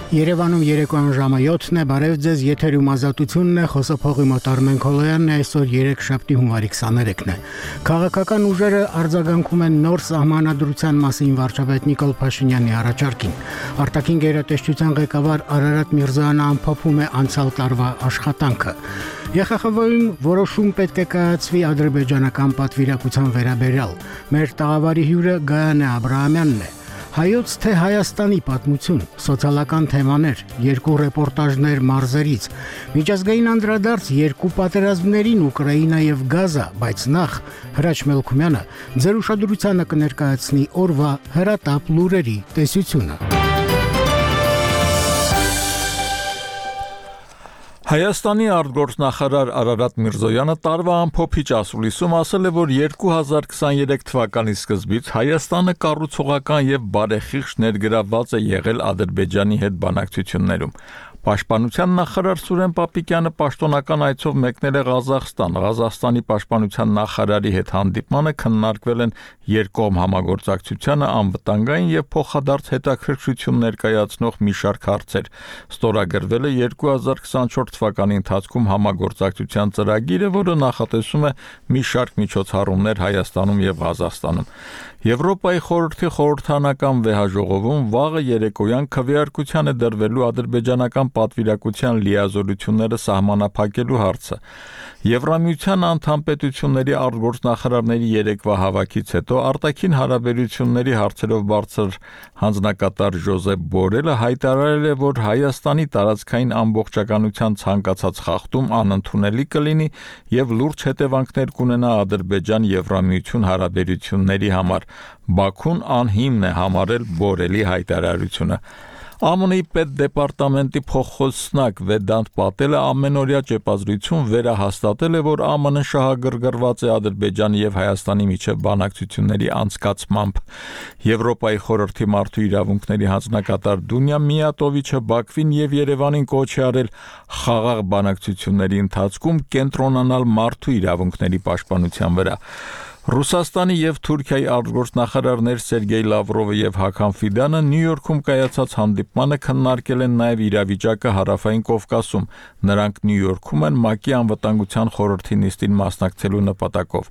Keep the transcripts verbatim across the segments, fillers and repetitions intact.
Երևանում երեկոյան ժամը յոթն է, բարև ձեզ, եթերում ազատությունն է, խոսափողի մոտ Արմեն Քոլոյանն է, այսօր երեքշաբթի հունվարի քսաներեքն է։ Քաղաքական ուժերը արձագանքում են նոր սահմանադրության մասին վարչապետ Նիկոլ Փաշինյանի առաջարկին։ Արտաքին գերատեսչության ղեկավար Արարատ Միրզոյանը ամփոփում է անցյալ տարվա աշխատանքը։ ԵԽԽՎ-ում որոշում պետք է կայացվի ադրբեջանական պատվիրակության վերաբերյալ։ Մեր տաղավարի հյուրը Գայանե Աբրահամյանն է։ Հայոց թե Հայաստանի պատմություն, սոցիալական թեմաներ, երկու ռեպորտաժներ մարզերից, միջազգային անդրադարձ երկու պատերազմներին Ուկրաինա եւ Գազա, բայց նախ Հրաչ Մելքումյանը ձեր ուշադրությանը կներկայացնի օրվա հրատապ լուրերի տեսությունը։ Հայաստանի արտգործնախարար Արարատ Միրզոյանը տարվա ամփոփիչ ասուլիսում ասել է, որ երկու հազար քսաներեք թվականի սկզբից Հայաստանը կառուցողական եւ բարեխիղճ ներգրավված է եղել Ադրբեջանի հետ բանակցություններում։ Պաշտպանության նախարար Սուրեն Պապիկյանը պաշտոնական այցով մեկնել է Ղազախստան։ Ղազախստանի պաշտպանության նախարարի հետ հանդիպմանը քննարկվել են երկկողմ համագործակցությանը անվտանգային եւ փոխադարձ հետաքրքրություն ներկայացնող մի շարք հարցեր։ Ստորագրվել է երկու հազար քսաներեք թվականի ընթացքում համագործակցության ծրագիրը, որը նախատեսում է մի շարք միջոցառումներ Հայաստանում եւ Ղազախստանում։ Եվրոպայի խորհրդի խորհրդանական վեհաժողովում վաղը երեկոյան քվեարկության է դրվելու ադրբեջանական պատվիրակության լիազորությունները սահմանափակելու հարցը։ Եվրամիության անդամ պետությունների արտգործնախարարների երեկվա հավաքից հետո արտաքին հարաբերությունների հարցերով բարձր հանձնակատար Ժոզեփ Բորելը հայտարարել է, որ Հայաստանի տարածքային ամբողջականության ցանկացած խախտում անընդունելի կլինի եւ լուրջ հետևանքներ կունենա Ադրբեջան-Եվրամիություն հարաբերությունների համար։ Բաքուն անհիմն է համարել Բորելի հայտարարությունը։ ԱՄՆ-ի պետդեպարտամենտի փոխխոսնակ Վեդանտ Պատելը ամենօրյա ճեպազրույցում վերահաստատել է, որ ԱՄՆ-ն շահագրգռված է Ադրբեջանի եւ Հայաստանի միջև բանակցությունների անցկացմամբ։ Եվրոպայի խորհրդի մարդու իրավունքների հանձնակատար Դունյա Միատովիչը Բաքվին եւ Երևանին կոչ է արել խաղաղ բանակցությունների ընթացքում կենտրոնանալ մարդու իրավունքների պաշտպանության վրա։ Ռուսաստանի եւ Թուրքիայի արտգործնախարարներ Սերգեյ Լավրովը եւ Հական Ֆիդանը Նյու Յորքում կայացած հանդիպմանը քննարկել են նաեւ իրավիճակը Հարավային Կովկասում։ Նրանք Նյու Յորքում են ՄԱԿ-ի անվտանգության խորհրդի նիստին մասնակցելու նպատակով։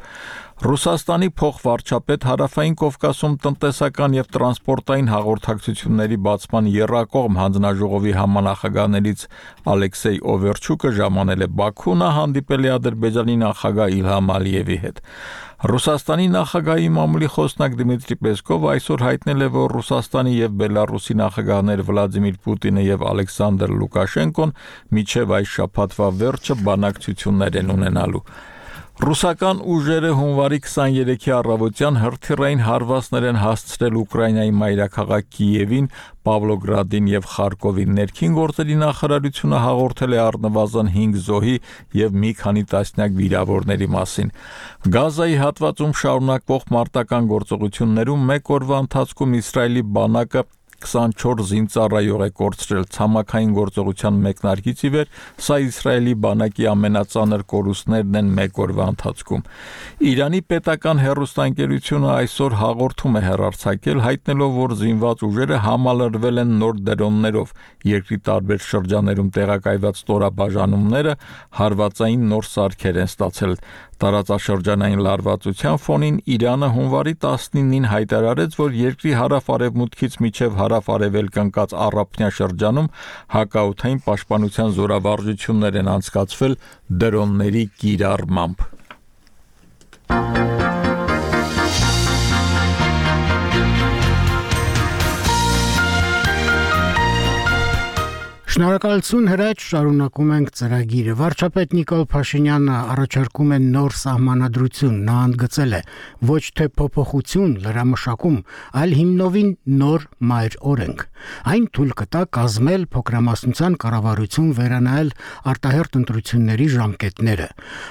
Ռուսաստանի փոխվարչապետ Հարավային Կովկասում տնտեսական եւ տրանսպորտային հաղորդակցությունների բացման եռակողմ հանձնաժողովի համանախագահներից Ալեքսեյ Օվերչուկը ժամանել է Բաքու, նա հանդիպել է Ադրբեջանի նախագահ Իլհամ Ալիևի հետ։ Ռուսաստանի նախագահի մամուլի խոսնակ Դմիտրի Պեսկովը այսօր հայտնել է, որ Ռուսաստանի եւ Բելարուսի նախագահներ Վլադիմիր Պուտինը եւ Ալեքսանդր Լուկաշենկոն մինչեւ այս շաբաթվա վերջը բանակցություններ են ունենալու։ Ռուսական ուժերը հունվարի քսաներեքի առավոտյան հրթիռային հարվածներ են հասցրել Ուկրաինայի մայրաքաղաք Կիևին, Պավլոգրադին եւ Խարկովին։ Ներքին գործերի նախարարությունը հաղորդել է առնվազն հինգ զոհի եւ մի քանի տասնյակ վիրավորների մասին։ Գազայի հատվածում շարունակվող մարտական գործողություններում մեկ օրվա ընթացքում Իսրայելի բանակը քսանչորս զինծառայող է կորցրել ցամաքային գործողության մեկնարկից ի վեր, սա Իսրայելի բանակի ամենածանր կորուստներն են մեկ օրվա ընթացքում։ Իրանի պետական հեռուստաընկերությունը այսօր հաղորդում է հեռարձակել, հայտնելով, որ զինված ուժերը համալրվել են նոր դրոններով։ Երկրի տարբեր շրջաններում տեղակայված ստորաբաժանումները հարվածային նոր սարքեր են ստացել։ Տարածաշրջանային լարվածության ֆոնին Իրանը հունվարի տասնինին հայտարարեց, որ երկրի հարավ-արևմուտքից մինչև հարավ-արևելք ընկած առափնյա շրջանում հակաօդային պաշտպանության զորավարժություններ են անցկացվել դրոնների կիրառմամբ։ Շնորհակալություն Հրաչ, շարունակում ենք ծրագիրը։ Վարչապետ Նիկոլ Փաշինյանը առաջարկում է նոր սահմանադրություն, նա ընդգծել է ոչ թե փոփոխություն լրամշակում, այլ հիմնովին նոր մայր օրենք։ Այն թույլ կտա կազմել փոքրամասնության կառավարություն վերանայել արտահերթ ընտրությունների ժամկետները։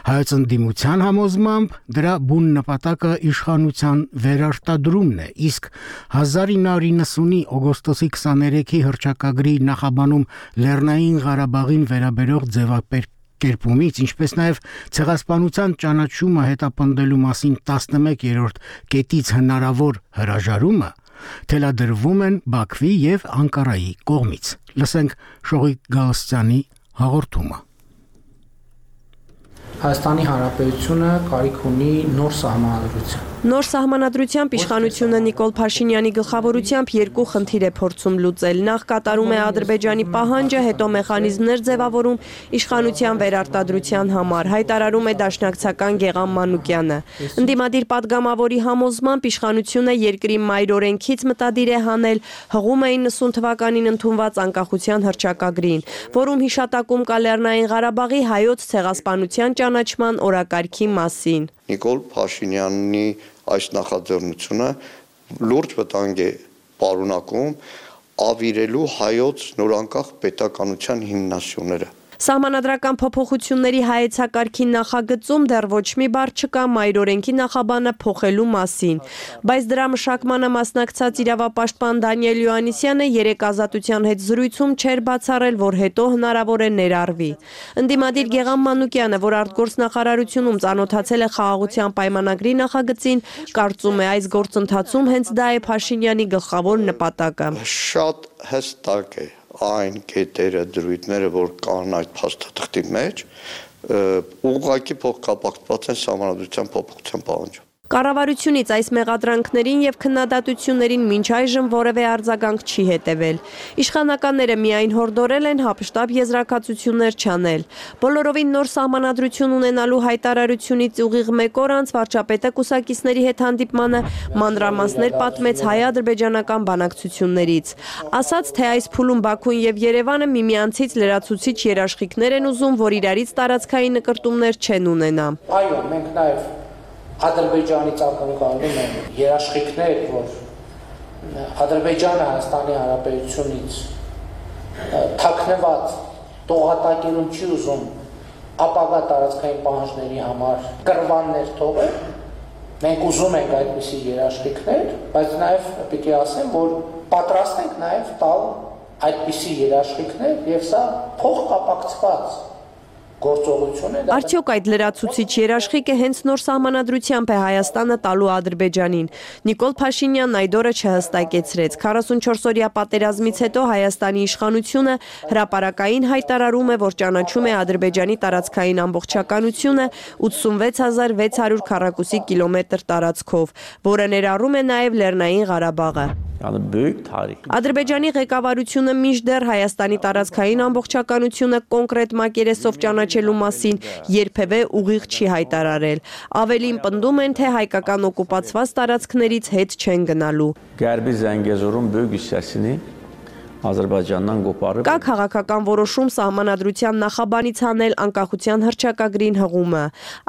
Հայոց ընդդիմության համոզմամբ դրա բուն նպատակը իշխանության վերարտադրումն է, իսկ հազար ինը հարյուր նվաթ օգոստոսի քսաներեքի հռչակագրի նախաբանում Լեռնային Ղարաբաղին վերաբերող ձևակերպումից, ինչպես նաև ցեղասպանության ճանաչումը հետապնդելու մասին տասնմեկերորդ կետից հնարավոր հրաժարումը թելադրվում են Բաքվի եւ Անկարայի կողմից։ Լսենք Շողիկ Գալստյանի հաղորդումը։ Հայաստանի Հանրապետությունը կարիք ունի նոր սահմանադրություն։ Նոր սահմանադրությամբ իշխանությունը Նիկոլ Փաշինյանի գլխավորությամբ երկու խնդիր է փորձում լուծել։ Նախ կատարում է Ադրբեջանի պահանջը, հետո մեխանիզմներ ձևավորում իշխանության վերարտադրության համար, հայտարարում է դաշնակցական Գեղամ Մանուկյանը։ Ընդդիմադիր падգամավորի համոզմամբ իշխանությունը երկրի մայր օրենքից մտադիր է հանել հղում է իննսուն թվականին ընդունված անկախության հռչակագրին, որում հիշատակում կա Լեռնային Ղարաբաղի հայոց ցեղասպանության ճանաչման օրակարգի մասին։ Նիկոլ Փաշինյանի այս նախաձեռնությունը լուրջ վտանգ է պարունակում ավիրելու հայոց նորանկախ պետականության հիմնասյուները։ Սահմանադրական փոփոխությունների հայեցակարգի նախագծում դեռ ոչ մի բառ չկա մայր օրենքի նախաբանը փոխելու մասին, բայց դրա մշակմանը մասնակցած իրավապաշտպան Դանիել Յոհաննիսյանը երեք Ազատության հետ զրույցում չէր բացառել, որ հետո հնարավոր է ներառվի։ Ընդդիմադիր Գեղամ Մանուկյանը, որ արտգործնախարարությունում ծանոթացել է խաղաղության պայմանագրի նախագծին, կարծում է այս գործընթացում հենց դա է Փաշինյանի գլխավոր նպատակը։ Շատ հստակ է այն կետերը, դրույթները, որ կան այդ փաստաթղթի մեջ, ուղղակի փոխկապակցված են սահմանադրության փոփոխության պահանջով։ Կառավարությունից այս մեղադրանքներին եւ քննադատություններին մինչ այժմ որևէ արձագանք չի հետևել։ Իշխանականները միայն հորդորել են հապշտապ եզրակացություններ չանել։ Բոլորովին նոր սահմանադրություն ունենալու հայտարարությունից ուղիղ մեկ օր անց վարչապետը կուսակիցների հետ հանդիպմանը մանրամասներ պատմեց հայ-ադրբեջանական բանակցություններից։ Ասաց, թե այս փուլում Բաքուն եւ Երևանը միմյանցից լրացուցիչ երաշխիքներ են ուզում, որ իրարից տարածքային նկրտումներ չեն ունենա։ Այո, մենք նաեւ Ադրբեջանից ակնկալում են երաշխիքներ, որ Ադրբեջանը Հայաստանի Հանրապետությունից թաքնված տողատակերում չի ուզում ապագա տարածքային պահանջների համար կռվաններ թողել։ Մենք ուզում ենք այդպիսի երաշխիքներ, բայց նաև պիտի ասեմ, որ պատրաստ ենք նաև տալ այդպիսի երաշխիքներ եւ սա փոխկապակցված Արդյոք այդ լրացուցիչ երաշխիքը հենց նոր սահմանադրությամբ է Հայաստանը տալու Ադրբեջանին։ Նիկոլ Փաշինյանն այդ օրը չհստակեցրեց։ քառասունչորս օրյա պատերազմից հետո Հայաստանի իշխանությունը հրապարակային հայտարարում է, որ ճանաչում է Ադրբեջանի տարածքային ամբողջականությունը ութսունվեց հազար վեց հարյուր քառակուսի կիլոմետր տարածքով, որը ներառում է նաև Լեռնային Ղարաբաղը։ Ադրբեջանի ղեկավարությունը մինչդեռ Հայաստանի տարածքային ամբողջականությունը կոնկրետ մակերեսով ճանաչելու մասին երբևէ ուղիղ չի հայտարարել։ Ավելին պնդում են, թե հայկական օկուպացված տարածքներից հետ չեն գնալու։ Գերբի Զանգեզուրում բույգ հյուսիսին Ադրբեջանն գոպարը Կա քաղաքական որոշում սահմանադրության նախաբանից հանել անկախության հռչակագրին հղումը։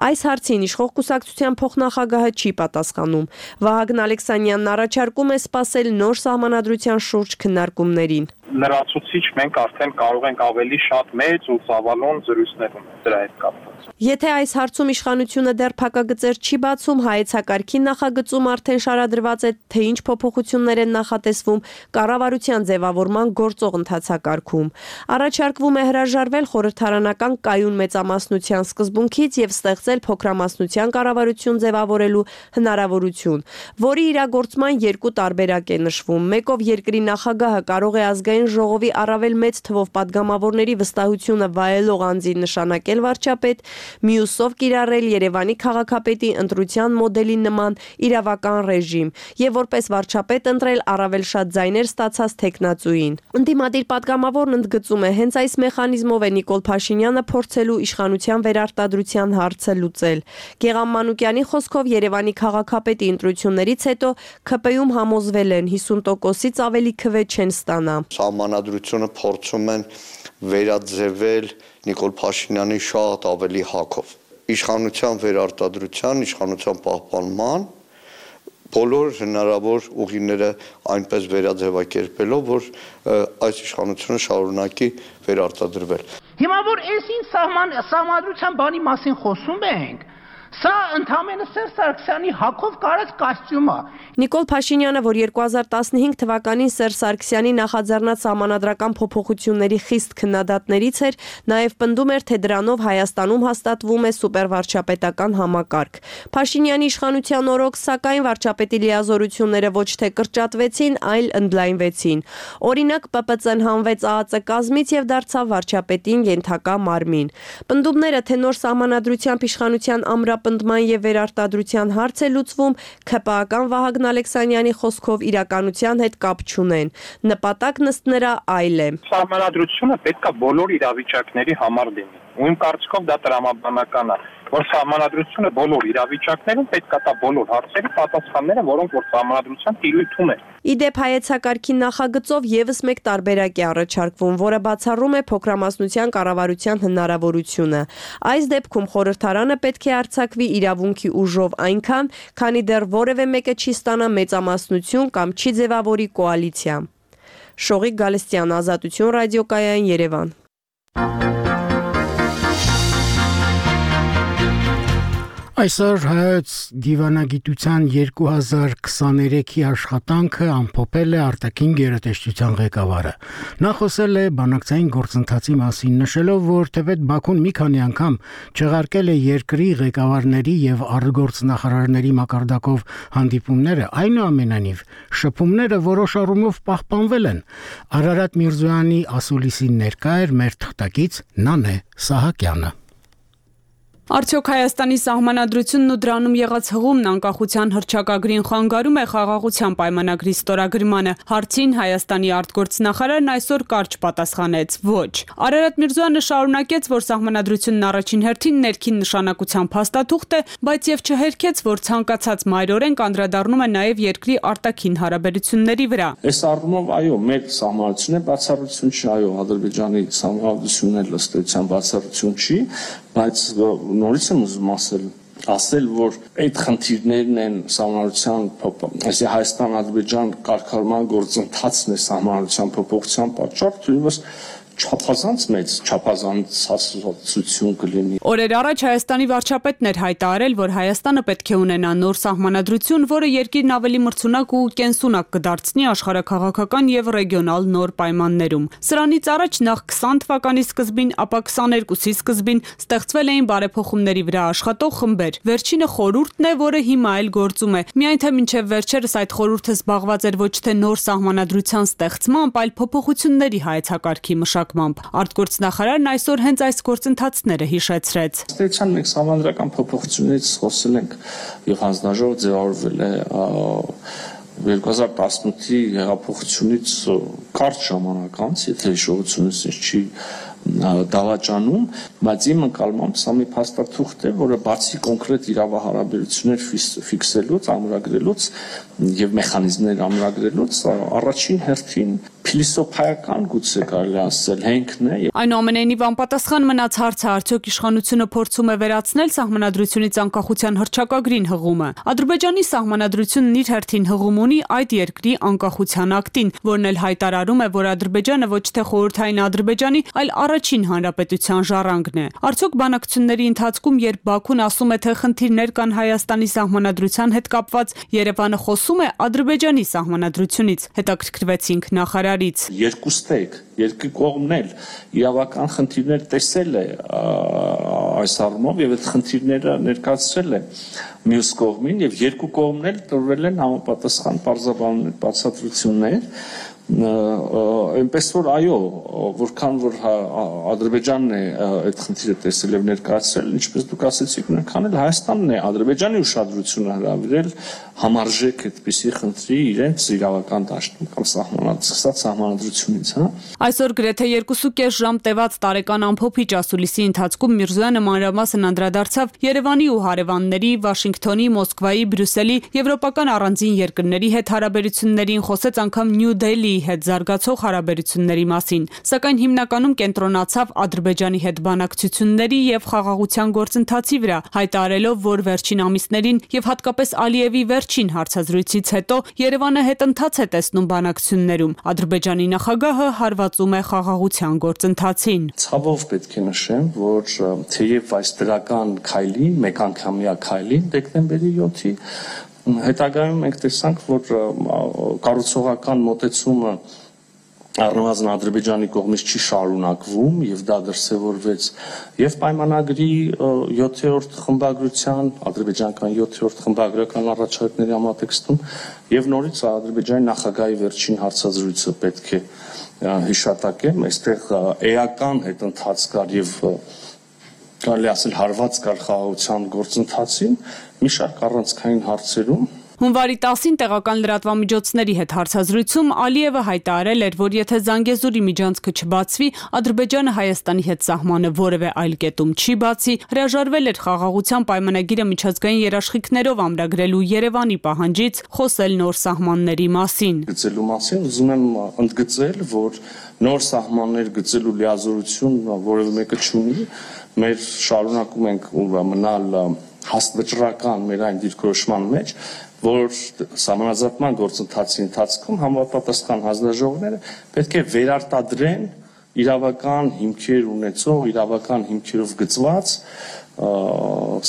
Այս հարցին իշխող կուսակցության փոխնախագահը չի պատասխանում։ Վահագն Ալեքսանյանն առաջարկում է սպասել նոր սահմանադրության շուրջ քննարկումներին։ Լրացուցիչ մենք արդեն կարող ենք ավելի շատ մեծ ու ծավալուն զրույցներ ունենալ դրա հետ կապված։ Եթե այս հարցում իշխանությունը դեռ փակագծեր չի բացում, հայեցակարգի նախագծում արդեն շարադրված է, թե ինչ փոփոխություններ են նախատեսվում կառավարության ձևավորման գործող ընթացակարգում։ Առաջարկվում է հրաժարվել խորհրդարանական կայուն մեծամասնության սկզբունքից եւ ստեղծել փոքրամասնության կառավարություն ձևավորելու հնարավորություն, որի իրագործման երկու տարբերակ է նշվում։ Մեկով երկրի նախագահը կարող է ազգային ժողովի առավել մեծ թվով падգամավորների վստահությունը վայելող անձին նշանակել վարչապետ, մյուսով կիրառել Երևանի քաղաքապետի ընտրության մոդելի նման իրավական ռեժիմ եւ որպես վարչապետ ընտրել առավել շատ ձայներ ստացած տեխնացուին։ Ընդդիմադիր падգամավորն ընդգծում է, հենց այս մեխանիզմով է Նիկոլ Փաշինյանը փորձելու իշխանության վերարտադրության հարցը լուծել։ Գեղամ Մանուկյանի խոսքով Երևանի քաղաքապետի ընտրություններից հետո ՔՊ-ում համոզվել են հիսուն տոկոսից ավելի քվե չեն ստանա։ Սահմանադրությունը փորձում են վերաձևել Նիկոլ Փաշինյանի շատ ավելի հակով։ Իշխանության վերարտադրության, իշխանության պահպանման բոլոր հնարավոր ուղիները այնպես վերաձևակերպելով, որ այս իշխանությունը շարունակի վերարտադրվել։ Հիմա որ այս ինչ սահման սահմանադրության բանի մասին խոսում ենք, Սա ընդհանրապես Սերժ Սարգսյանի հակով կարած կոստյում է։ Նիկոլ Փաշինյանը, որ երկու հազար տասնհինգ թվականին Սերժ Սարգսյանի նախաձեռնած սահմանադրական փոփոխությունների խիստ քննադատներից էր, նաև պնդում էր, թե դրանով Հայաստանում հաստատվում է սուպերվարչապետական համակարգ։ Փաշինյանի իշխանության օրոք, սակայն, վարչապետի լիազորությունները ոչ թե կրճատվեցին, այլ ընդլայնվեցին։ Օրինակ, Պ Պ Ց-ն հանվեց Ա Ա Ծ կազմից եւ դարձավ վարչապետին ենթակա մարմին։ Պնդումները, թե նոր սահմանադրությամբ իշխանության ամրապնդման եւ վերարտադրության հարց է լուծվում, K P A-ական Վահագն Ալեքսանյանի խոսքով իրականության հետ կապ չունեն։ Նպատակն ըստ նրա այլ է։ Սահմանադրությունը պետք է բոլոր իրավիճակների համար լինի։ Ու իմ կարծիքով դա տրամաբանական է, որ սահմանադրությունը բոլոր իրավիճակներում պետք է տա բոլոր հարցերի պատասխանները, որոնք որ սահմանադրության տիրույթում են։ Իդեպ հայեցակարգի նախագծով եւս մեկ տարբերակ է առաջարկվում, որը բացառում է փոքրամասնության կառավարության հնարավորությունը։ Այս դեպքում խորհրդարանը պետք է արձակվի իրավունքի ուժով այնքան, քանի դեռ որևէ մեկը չի ստանա մեծամասնություն կամ չի ձևավորի կոալիցիա։ Շողիկ Գալստյան, Ազատություն ռադիոկայան, Երևան։ Այսօր հայոց դիվանագիտության երկու հազար քսաներեքի աշխատանքը ամփոփել է արտաքին գերատեսչության ղեկավարը։ Նա խոսել է բանակցային գործընթացի մասին, նշելով, որ թեպետ Բաքուն մի քանի անգամ չեղարկել է երկրի ղեկավարների եւ արտգործնախարարների մակարդակով հանդիպումները, այնուամենայնիվ շփումները որոշ առումով պահպանվել են։ Արարատ Միրզոյանի ասուլիսին ներկա էր մեր թղթակից Նանե Սահակյանը։ Արդյոք Հայաստանի սահմանադրությունն ու դրանում եղած հղումն անկախության հռչակագրին խանգարում է խաղաղության պայմանագրի ստորագրմանը։ Հարցին Հայաստանի արտգործնախարարն այսօր կարճ պատասխանեց՝ ոչ։ Արարատ Միրզոյանը շարունակեց, որ սահմանադրությունն առաջին հերթին ներքին նշանակության փաստաթուղթ է, բայց եւ չհերքեց, որ ցանկացած մայրօրենք անդրադառնում է նաեւ երկրի արտաքին հարաբերությունների վրա։ Այս առումով այո, մեր սահմանադրությունը բացառություն չի, այո, Ադրբեջանի սահմանադրությունն էլ ըստ էության բացառություն չի, բայց նորից եմ ուզում ասել, ասել, որ այդ խնդիրներն են սահմանադրության փոփոխության, այսինքն Հայաստան-Ադրբեջան կարգավորման գործընթացն է սահմանադրության փոփոխության պատճառ, թույլս չափազանց մեծ չափազանցություն կլինի։ Օրեր առաջ Հայաստանի վարչապետն էր հայտարարել, որ Հայաստանը պետք է ունենա նոր սահմանադրություն, որը երկիրն ավելի մրցունակ ու կենսունակ կդարձնի աշխարհաքաղաքական եւ ռեգիոնալ նոր պայմաններում։ Սրանից առաջ նախ քսան թվականի սկզբին, ապա քսաներկուսի սկզբին ստեղծվել էին բարեփոխումների վրա աշխատող խմբեր։ Վերջինը խորհուրդն է, որը հիմա էլ գործում է։ Միայն թե մինչև վերջերս այդ խորհուրդը զբաղված էր ոչ թե նոր սահմանադրության ստեղծմամբ, այլ փոփոխությունների հայեցակարգի մշակմամբ։ Արտգործնախարարն այսօր հենց այս գործընթացները հիշեցրեց։ Ստեցան մենք սահմանադրական փոփոխություններից խոսել ենք եւ հանձնաժողով ձևավորվել է երկու հազար տասնութի հեղափոխությունից կարճ ժամանակ անց, եթե հիշողությունս չի դավաճանում, բայց իմ ընկալմամբ սա մի փաստաթուղթ է, որը բացի կոնկրետ իրավահարաբերություններ ֆիքսելուց, ամրագրելուց եւ մեխանիզմներ ամրագրելուց, առաջին հերթին փիլիսոփայական գուցե կարելի ասել հենքն է։ Այնուամենայնիվ անպատասխան մնաց հարցը, արդյոք իշխանությունը փորձում է վերացնել սահմանադրությունից անկախության հռչակագրին հղումը։ Ադրբեջանի սահմանադրությունն իր հերթին հղում ունի այդ երկրի անկախության ակտին, որն էլ հայտարարում է, որ Ադրբեջանը ոչ թե խորհրդային Ադրբեջանի, այլ առաջին հանրապետության ժառանգն է։ Արդյոք բանակցությունների ընթացքում, երբ Բաքուն ասում է, թե խնդիրներ կան Հայաստանի սահմանադրության հետ կապված, Երևանը խոսում է Ադրբեջանի սահմանադրությունից։ Հետաքրքրվեցինք նախարարից։ Երկուստեք, երկու կողմն էլ իրավական խնդիրներ տեսել է այս առումով եւ այդ խնդիրները ներկայացրել է մյուս կողմին եւ երկու կողմն էլ տրվել են համապատասխան պարզաբաններ, բացատրություններ։ Այնպես որ այո, որքան որ Ադրբեջանն է այդ խնդիրը տեսել եւ ներկայացրել, ինչպես դուք ասեցիք, նույնքան էլ Հայաստանն է Ադրբեջանի ուշադրությունը հրավիրել համարժեք այդպիսի խնդրի իրենց իրավական դաշտում կամ սահմանադրած սահմանադրությունից, հա։ Այսօր գրեթե երկու կես ժամ տևած տարեկան ամփոփիչ ասուլիսի ընթացքում Միրզոյանը մանրամասն անդրադարձավ Երևանի ու հարևանների, Վաշինգտոնի, Մոսկվայի, Բրյուսելի, եվրոպական առանձին երկրների հետ հարաբերություններին, խոսեց անգամ Նյու Դելհիի հետ զարգացող հարաբերությունների մասին, սակայն հիմնականում կենտրոնացավ Ադրբեջանի հետ բանակցությունների եւ խաղաղության գործընթացի վրա, հայտարարելով, որ վերջին ամիսներին եւ հատկապես Ալիևի վերջ Վերջին հարցազրույցից հետո Երևանը հետընթաց է տեսնում բանակցություններում։ Ադրբեջանի նախագահը հարվածում է խաղաղության գործընթացին։ Ցավով պետք է նշեմ, որ թեև այս դրական քայլի, մեկանգամյա քայլի դեկտեմբերի յոթի հետագայում մենք տեսանք, որ կառուցողական մոտեցումը առնվազն Ադրբեջանի կողմից չի շարունակվում եւ դա դրսեւորվեց եւ պայմանագրի յոթերորդ խմբագրության ադրբեջանական յոթերորդ խմբագրական առաջարկների համատեքստում եւ նորից Ադրբեջանի նախագահի վերջին հարցազրույցը պետք է հիշատակեմ, այստեղ էական հետընթաց կար եւ կարելի ասել հարված կար խաղաղության գործընթացին մի շարք առանցքային հարցերում։ Հունվարի տասին տեղական լրատվամիջոցների հետ հարցազրույցում Ալիևը հայտարարել էր, որ եթե Զանգեզուրի միջանցքը չբացվի, Ադրբեջանը Հայաստանի հետ սահմանը որևէ այլ կետում չի բացի, հրաժարվել էր խաղաղության պայմանագիրը միջազգային երաշխիքներով ամրագրելու Երևանի պահանջից, խոսել նոր սահմանների մասին։ Գծելու մասին ուզում եմ ընդգծել, որ նոր սահմաններ գծելու լիազորություն որևէ մեկը չունի, մեր շարունակում ենք մնալ հաստվճռական մեր այն դիրքորոշման մեջ, որ սահմանազատման գործընթացի ընթացքում համապատասխան հանձնաժողովները պետք է վերարտադրեն իրավական հիմքեր ունեցող, իրավական հիմքերով գծված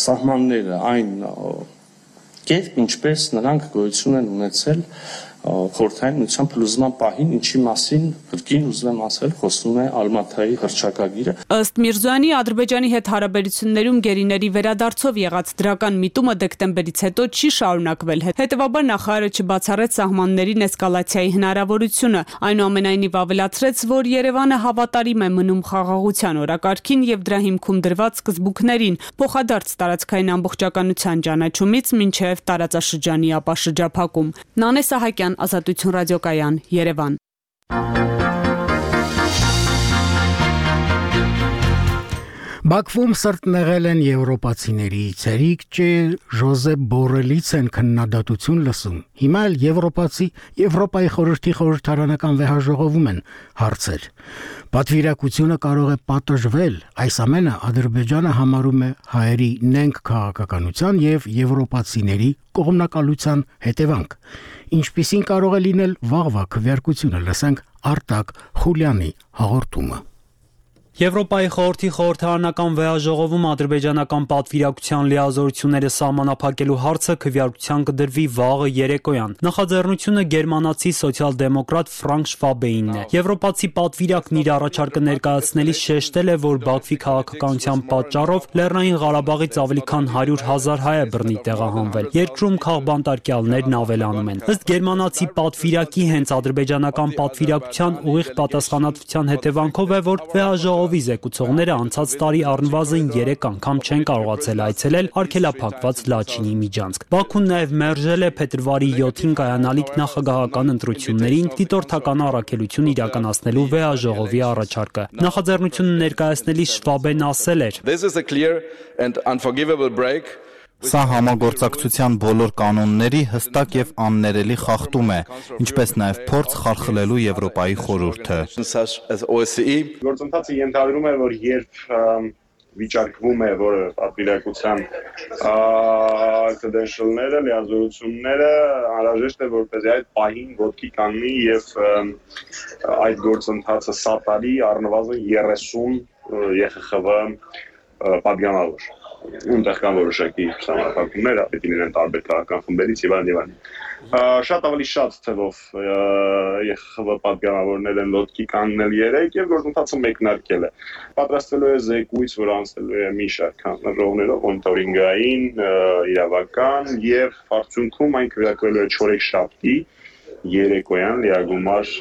սահմանները այն կերպ, ինչպես նրանք գոյություն են ունեցել խորհրդային միության փլուզման պահին, ինչի մասին կրկին ուզում եմ ասել, խոսում է Ալմաթայի հռչակագիրը։ Ըստ Միրզոյանի, Ադրբեջանի հետ հարաբերություններում գերիների վերադարձով եղած դրական միտումը դեկտեմբերից հետո չի շարունակվել։ Հետևաբար նախարարը չբացառեց սահմաններին էսկալացիայի հնարավորությունը, այնուամենայնիվ ավելացրեց, որ Երևանը հավատարիմ է մնում խաղաղության օրակարգին եւ դրա հիմքում դրված սկզբունքներին, փոխադարձ տարածքային ամբողջականության ճանաչումից մինչեւ տարածաշրջանի ապաշրջափակում։ Նանե Սահակյան, Ազատություն ռադիոկայան, Երևան։ Բաքվում սրտնեղել են եվրոպացիների ցերիկ ջե Ժոզեփ Բորելից են քննադատություն լսում։ Հիմա էլ եվրոպացի Եվրոպայի խորհրդի խորհրդարանական վեհաժողովում են հարցեր։ Պատվիրակությունը կարող է պատժվել, այս ամենը Ադրբեջանը համարում է հայերի նենգ քաղաքականության եւ եվրոպացիների կողմնակալության հետևանք։ Ինչպիսին կարող է լինել վաղվա քվեարկությունը, լսենք Արտակ Խուլյանի հաղորդումը։ Եվրոպայի խորհրդի խորհրդարանական վեհաժողովում ադրբեջանական պատվիրակության լիազորությունները սահմանափակելու հարցը քվեարկության կդրվի վաղը երեկոյան։ Նախաձեռնությունը գերմանացի սոցիալ-դեմոկրատ Ֆրանկ Շվաբեինն է։ Եվրոպացի պատվիրակն իր առաջարկը ներկայացնելիս շեշտել է, որ Բաքվի քաղաքականության պատճառով Լեռնային Ղարաբաղից ավելի քան հարյուր հազար հայ է բռնի տեղահանվել։ Երկրում քաղբանտարկյալներն ավելանում են։ Ըստ գերմանացի պատվիրակի, հենց ադրբեջանական պատվիրակության ուղիղ պատասխանատվության հետևանքով է, որ վեհաժողովը Ով զեկուցողները անցած տարի առնվազն երեք անգամ չեն կարողացել այցելել արգելափակված Լաչինի միջանցք։ Բաքուն նաև մերժել է փետրվարի յոթին կայանալիք նախագահական ընտրություններին դիտորդական առաքելություն իրականացնելու վեհաժողովի առաջարկը։ Նախաձեռնությունը ներկայացնելիս Շվաբեն ասել էր. This is a clear and unforgivable break. Սա համագործակցության բոլոր կանոնների հստակ եւ աններելի խախտում է, ինչպես նաեւ փորձ խարխլելու Եվրոպայի խորհուրդը։ Գործընթացը ենթադրում է, որ երբ վիճակվում է, որ պատվիրակության credential-ները, լիազորությունները անհրաժեշտ է, որպեսզի այդ պահին ոտքի կանգնի եւ այդ գործընթացը սատարի առնվազն երեսուն Ե Խ Խ V պատգամավոր։ Ունտեղ կան որոշակի սահմանափակումներ, պետք է լինեն տարբեր քաղաքական խմբերից եւ այլն եւ այլն։ Շատ ավելի շատ թվով Ե Խ Խ V պատգամավորներ են լոտքի կանգնել երեք եւ գործընթացը մեկնարկել է։ Պատրաստվելու է զեկույց, որ անցնելու է մի շարք հանձնաժողովներով, մոնիտորինգային, իրավական եւ արդյունքում այն քվեարկվելու է չորեքշաբթի երեկոյան լիագումար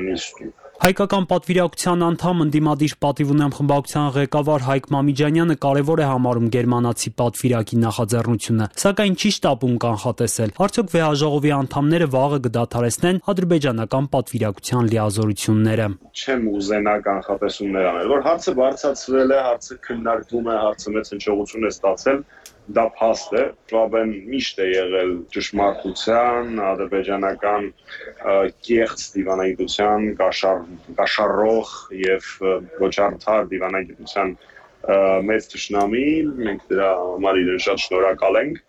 նիստում։ Հայկական պատվիրակության անդամ ընդդիմադիր պատիվ ունեմ խմբակցության ղեկավար Հայկ Մամիջանյանը կարևոր է համարում գերմանացի պատվիրակի նախաձեռնությունը, սակայն չի շտապում կանխատեսել, արդյոք վեհաժողովի անդամները վաղը կդադարեցնեն ադրբեջանական պատվիրակության լիազորությունները։ Չեմ ուզենա կանխատեսումներ անել, որ հարցը բարձրացվել է, հարցը քննարկվում է, հարցը մեծ հնչողություն է ստացել, դա փաստ է, Շվաբեն միշտ է եղել ճշմարտության, ադրբեջանական կեղծ դիվանագիտության, կաշառող եւ ոչ արդար դիվանագիտության մեծ թշնամի, մենք դրա համար իրեն շատ շնորհակալ ենք,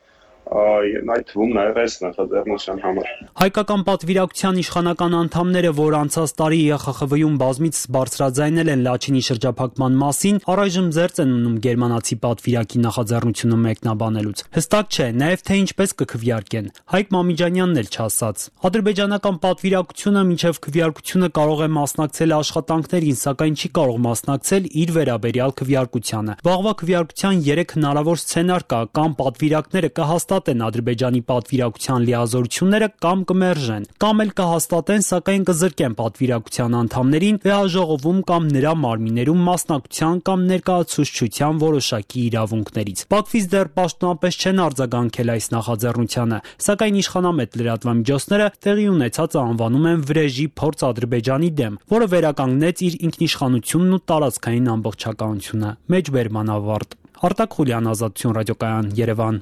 այդ թվում նաև այս նախաձեռնության համար։ Հայկական պատվիրակության իշխանական անդամները, որ անցած տարի Ե Խ Խ V-ում բազմիցս բարձրաձայնել են Լաչինի շրջափակման մասին, առայժմ զերծ են ունում գերմանացի պատվիրակի նախաձեռնությունը մեկնաբանելուց։ Հստակ չէ նաև թե ինչպես կքվեարկեն։ Հայկ Մամիջանյանն էլ չասաց։ Ադրբեջանական պատվիրակությունը մինչև քվեարկությունը կարող է մասնակցել աշխատանքներին, սակայն չի կարող մասնակցել իր վերաբերյալ քվեարկությանը։ Վաղվա քվեարկության երեք հնարավոր սցենար կա, կամ պատվիրակները կհաստատեն Ադրբեջանի պատվիրակության լիազորությունները կամ կմերժեն, կամ էլ կհաստատեն, սակայն կզրկեն պատվիրակության անդամներին վեհաժողովում կամ նրա մարմիններում մասնակցության կամ ներկայացուցչության որոշակի իրավունքներից։ Բաքվից դեռ պաշտոնապես չեն արձագանքել այս նախաձեռնությանը, սակայն իշխանամետ լրատվամիջոցները տեղի ունեցածը անվանում են վրեժի փորձ Ադրբեջանի դեմ, որը վերականգնեց իր ինքնիշխանությունն ու տարածքային ամբողջականությունը։ Մեջբերման ավարտ։ Արտակ Խուլյան, Ազատություն ռադիոկայան, Երևան։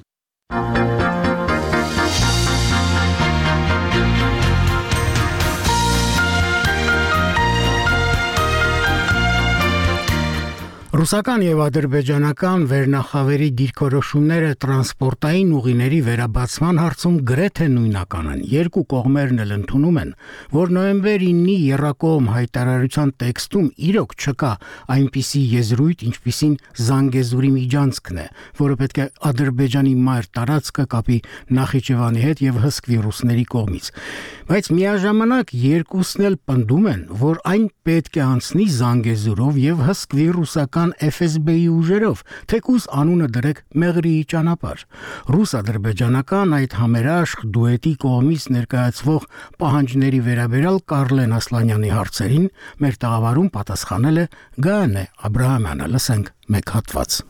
Ռուսական եւ ադրբեջանական վերնախավերի դիրքորոշումները տրանսպորտային ուղիների վերաբացման հարցում գրեթե նույնական են։ Երկու կողմերն էլ ընդունում են, որ նոյեմբեր իննի եռակողմ հայտարարության տեքստում իրոք չկա այնպիսի եզրույթ, ինչպիսին Զանգեզուրի միջանցքն է, որը պետք է Ադրբեջանի մայր տարածքը կապի Նախիջևանի հետ եւ հսկվի ռուսների կողմից։ Բայց միաժամանակ երկուսն էլ պնդում են, որ այն պետք է անցնի Զանգեզուրով եւ հսկվի ռուսական Էֆ Էս Բի-ի ուժերով, թեկուզ անունը դրեք Մեղրիի ճանապարհ։ Ռուս-ադրբեջանական այդ համերաշխ դուետի կողմից ներկայացվող պահանջների վերաբերյալ Կարլեն Ասլանյանի հարցերին մեր տաղավարում պատասխանել է Գայանե Աբրահամյանը։ Լսենք մեկ հատված։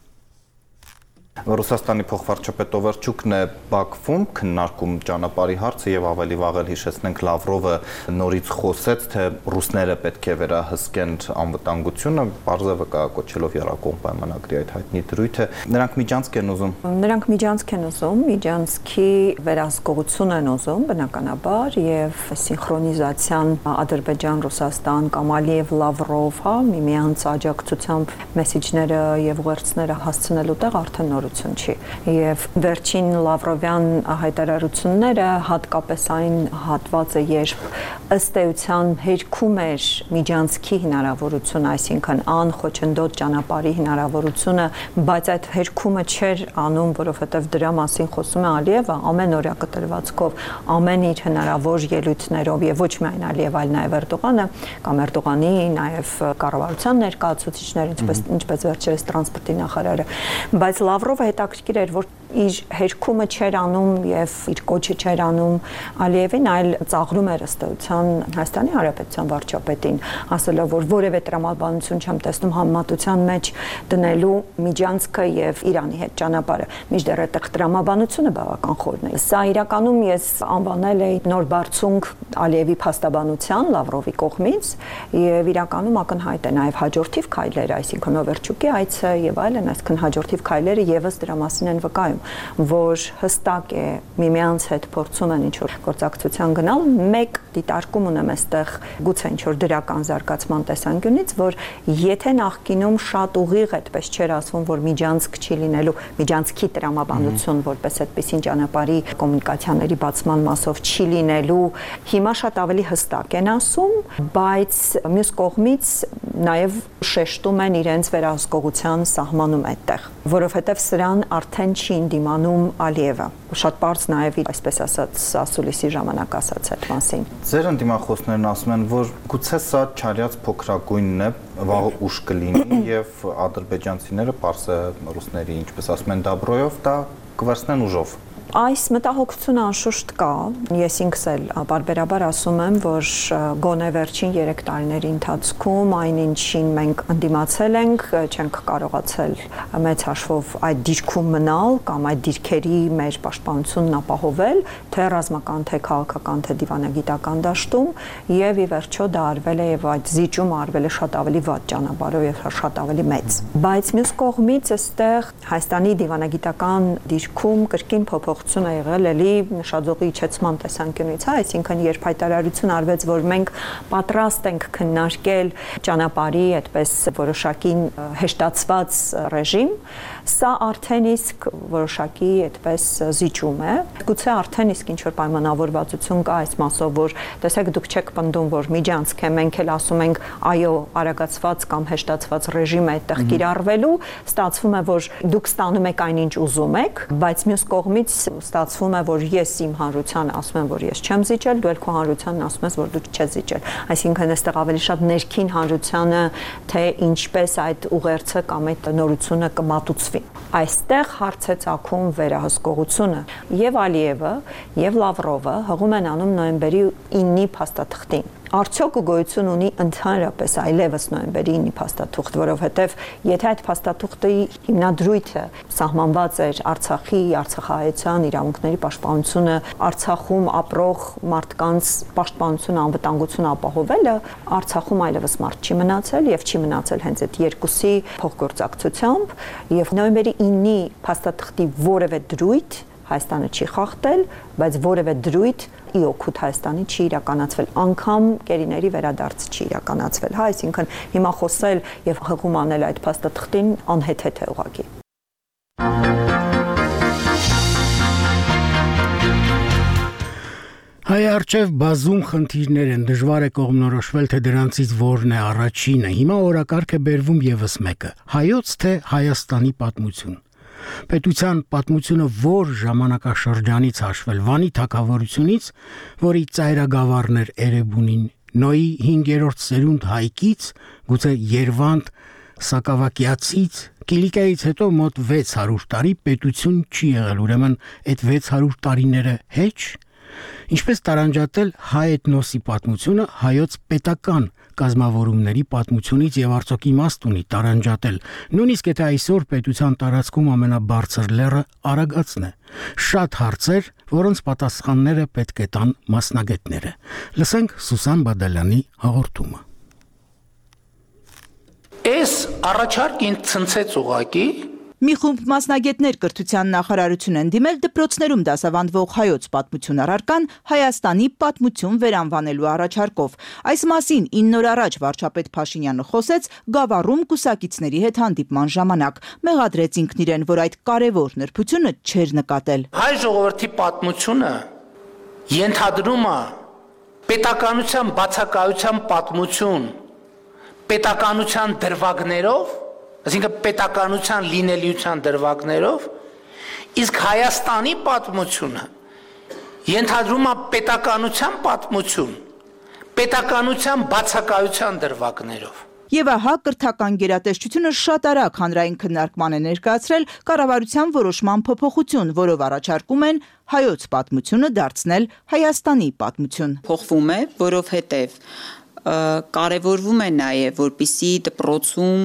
Ռուսաստանի փոխվարչապետ Օվերչուկն է Բաքվում քննարկում ճանապարհի հարցը եւ ավելի վաղ էլ հիշեցնենք Լավրովը նորից խոսեց, թե ռուսները պետք է վերահսկեն անվտանգությունը, բարձրը կա կոչելով եռակողմ պայմանագրի այդ հայտնի դրույթը։ Նրանք միջանցք են ուզում։ Նրանք միջանցք են ուզում, միջանցքի վերահսկողություն են ուզում, բնականաբար, եւ սինխրոնիզացիան Ադրբեջան-Ռուսաստան կամ Ալիև Լավրով, հա, միմյանց աջակցությամբ մեսիջները եւ ուղերձները հասցնելու տեղ արդեն նորություն չի։ Եվ վերջին Լավրովյան հայտարարությունները հատկապես այն հատվածը, երբ ըստ էության հերքում էր միջանցքի հնարավորությունը, այսինքն անխոչնդոտ ճանապարհի հնարավորությունը, բայց այդ հերքումը չէր անում, որովհետև դրա մասին խոսում է Ալիևը ամեն օրյա կտրվածքով, ամեն իր հնարավոր ելույթներով եւ ոչ միայն Ալիև, այլ նաեւ Էրդողանը կամ Էրդողանի, նաեւ կառավարության ներկայացուցիչներ, ինչպես ինչպես վերջերս տրանսպորտի նախարարը, բայց Լավրովը հետաքրքիր էր, որ իր հերքումը չէր անում եւ իր կոչը չէր անում Ալիևին, այլ ծաղրում էր ըստ էության Հայաստանի Հանրապետության վարչապետին, ասելով, որ որևէ տրամաբանություն չեմ տեսնում համեմատության մեջ դնելու միջանցքը եւ Իրանի հետ ճանապարհը։ Մինչդեռ այդտեղ տրամաբանությունը բավական խորն է։ Սա իրականում ես անվանել էի նոր բարձունք Ալիևի փաստաբանության Լավրովի կողմից եւ իրականում ակնհայտ է նաեւ հաջորդիվ քայլերը, այսինքն Օվերչուկի այցը եւ այլն, այսինքն հաջորդիվ քայլերը եւս դրա մասին են վկայում, որ հստակ է միմյանց հետ փորձում են ինչ-որ գործակցության գնալ, մեկ դիտարկում ունեմ այստեղ գուցե ինչ-որ դրական զարգացման տեսանկյունից, որ եթե նախկինում շատ ուղիղ այդպես չէր ասվում, որ միջանցք չի լինելու, միջանցքի տրամաբանություն, որպես այդպեսին ճանապարհի կոմունիկացիաների բացման մասով չի լինելու, հիմա շատ ավելի հստակ են ասում, բայց մյուս կողմից նաև շեշտում են իրենց վերահսկողության սահմանում այդտեղ, որովհետև սրան արդեն չի դիմանում Ալիևը։ Շատ բարձ նաև այսպես ասած ասուլիսի ժամանակ ասաց այդ մասին։ Ձեր ընդդիմախոսներն ասում են, որ գուցե սա չարյաց փոքրագույնն է, վաղ ուշ կլինի եւ ադրբեջանցիները պարսը ռուսների, ինչպես ասում են, դաբրոյով դա կվերցնեն ուժով։ Այս մտահոգությունը անշուշտ կա։ Ես ինքս էլ բարբերաբար ասում եմ, որ գոնե վերջին երեք տարիների ընթացքում այն ինչին մենք ընդդիմացել ենք, չենք կարողացել մեծ հաշվով այդ դիրքում մնալ կամ այդ դիրքերի մեր պաշտպանությունն ապահովել, թե ռազմական, թե քաղաքական, թե դիվանագիտական դաշտում, եւ ի վերջո դա արվել է եւ այդ զիջումը արվել է շատ ավելի վատ ճանապարհով եւ շատ ավելի մեծ։ Բայց մյուս կողմից այստեղ Հայաստանի դիվանագիտական դիրքում կրկին փոփոխ փոփոխություն է եղել էլի նշաձողի իջեցման տեսանկյունից, հա, այսինքն երբ հայտարարություն արվեց, որ մենք պատրաստ ենք քննարկել ճանապարհի այդպես որոշակի հեշտացված ռեժիմ, սա արդեն իսկ որոշակի այդպես զիջում է։ Գուցե արդեն իսկ ինչ որ պայմանավորվածություն կա այս մասով, որ տեսեք դուք չեք պնդում, որ միջանցք է, մենք էլ ասում ենք այո, արագացված կամ հեշտացված ռեժիմ է այդտեղ կիրառվելու, ստացվում է, որ դուք ստանում եք այնինչ ուզում եք, բայց մյուս կողմից ստացվում է, որ ես իմ հանրությանը ասում եմ, որ ես չեմ զիջել, դու էլ քո հանրությանն ասում ես, որ դու չես զիջել։ Այսինքն այստեղ ավելի շատ ներքին հանրությանը, թե ինչպես այդ ուղերձը կամ այդ նորությունը կմատուցվի։ Այստեղ հարց է ծագում վերահսկողությունը, եւ Ալիևը, եւ Լավրովը հղում են անում նոյեմբերի ինի փաստաթղթին։ Արդյոք գոյություն ունի ընդհանրապես այլևս նոյեմբերի ինի փաստաթուղթ, որովհետև եթե այդ փաստաթուղթի հիմնադրույթը սահմանված էր Արցախի, արցախահայության իրավունքների պաշտպանությունը, Արցախում ապրող մարդկանց պաշտպանությունը, անվտանգությունը ապահովելը, Արցախում այլևս մարդ չի մնացել եւ չի մնացել հենց այդ երկուսի փոխգործակցությամբ, եւ նոյեմբերի ինի փաստաթղթի որևէ դրույթ Հայաստանը չի խախտել, բայց որևէ դրույթ ի օգուտ Հայաստանի չի իրականացվել, անգամ կերիների վերադարձ չի իրականացվել, հա, այսինքն հիմա խոսել եւ հղում անել այդ փաստաթղթին անհեթեթ է ուղղակի։ Հայ արչև բազում խնդիրներ են, դժվար է կողմնորոշվել, թե դրանցից որն է առաջինը։ Հիմա օրակարգ է բերվում եւս մեկը՝ հայոց թե Հայաստանի պատմություն։ Պետության պատմությունը որ ժամանակաշրջանից հաշվել, Վանի թագավորությունից, որի ծայրագավառն էր Էրեբունին, Նոյի հինգերորդ սերունդ Հայկից, գուցե Երվանդ Սակավակյացից, Կիլիկայից հետո մոտ վեց հարյուր տարի պետություն չի եղել, ուրեմն այդ վեց հարյուր տարիները հեչ։ Ինչպես տարանջատել հայ էթնոսի պատմությունը հայոց պետական կազմավորումների պատմությունից եւ արդյոք իմաստ ունի տարանջատել, նույնիսկ եթե այսօր պետության տարածքում ամենաբարձր լեռը Արագածն է։ Շատ հարցեր, որոնց պատասխանները պետք է տան մասնագետները։ Լսենք Սուսան Բադալյանի հաղորդումը։ Այս առաջարկին ցնցեց ուղակի Մի խումբ մասնագետներ կրթության նախարարություն են դիմել դպրոցներում դասավանդվող հայոց պատմություն առարկան Հայաստանի պատմություն վերանվանելու առաջարկով։ Այս մասին ինը օր առաջ վարչապետ Փաշինյանը խոսեց Գավառում կուսակիցների հետ հանդիպման ժամանակ, մեղադրեց ինքն իրեն, որ այդ կարևոր նրբությունը չէր նկատել։ Հայ ժողովրդի պատմությունը ենթադրում է պետականության բացակայության պատմություն, պետականության դրվագներով, այսինքն պետականության լինելիության դրվագներով, իսկ Հայաստանի պատմությունը ենթադրում է պետականության պատմություն, պետականության բացակայության դրվագներով։ Եվ ահա կրթական գերատեսչությունը շատ արագ հանրային քննարկման է ներկայացրել կառավարության որոշման փոփոխություն, որով առաջարկում են հայոց պատմությունը դարձնել Հայաստանի պատմություն։ Փոխվում է, որովհետև կարևորվում է նաև, որպիսի դպրոցում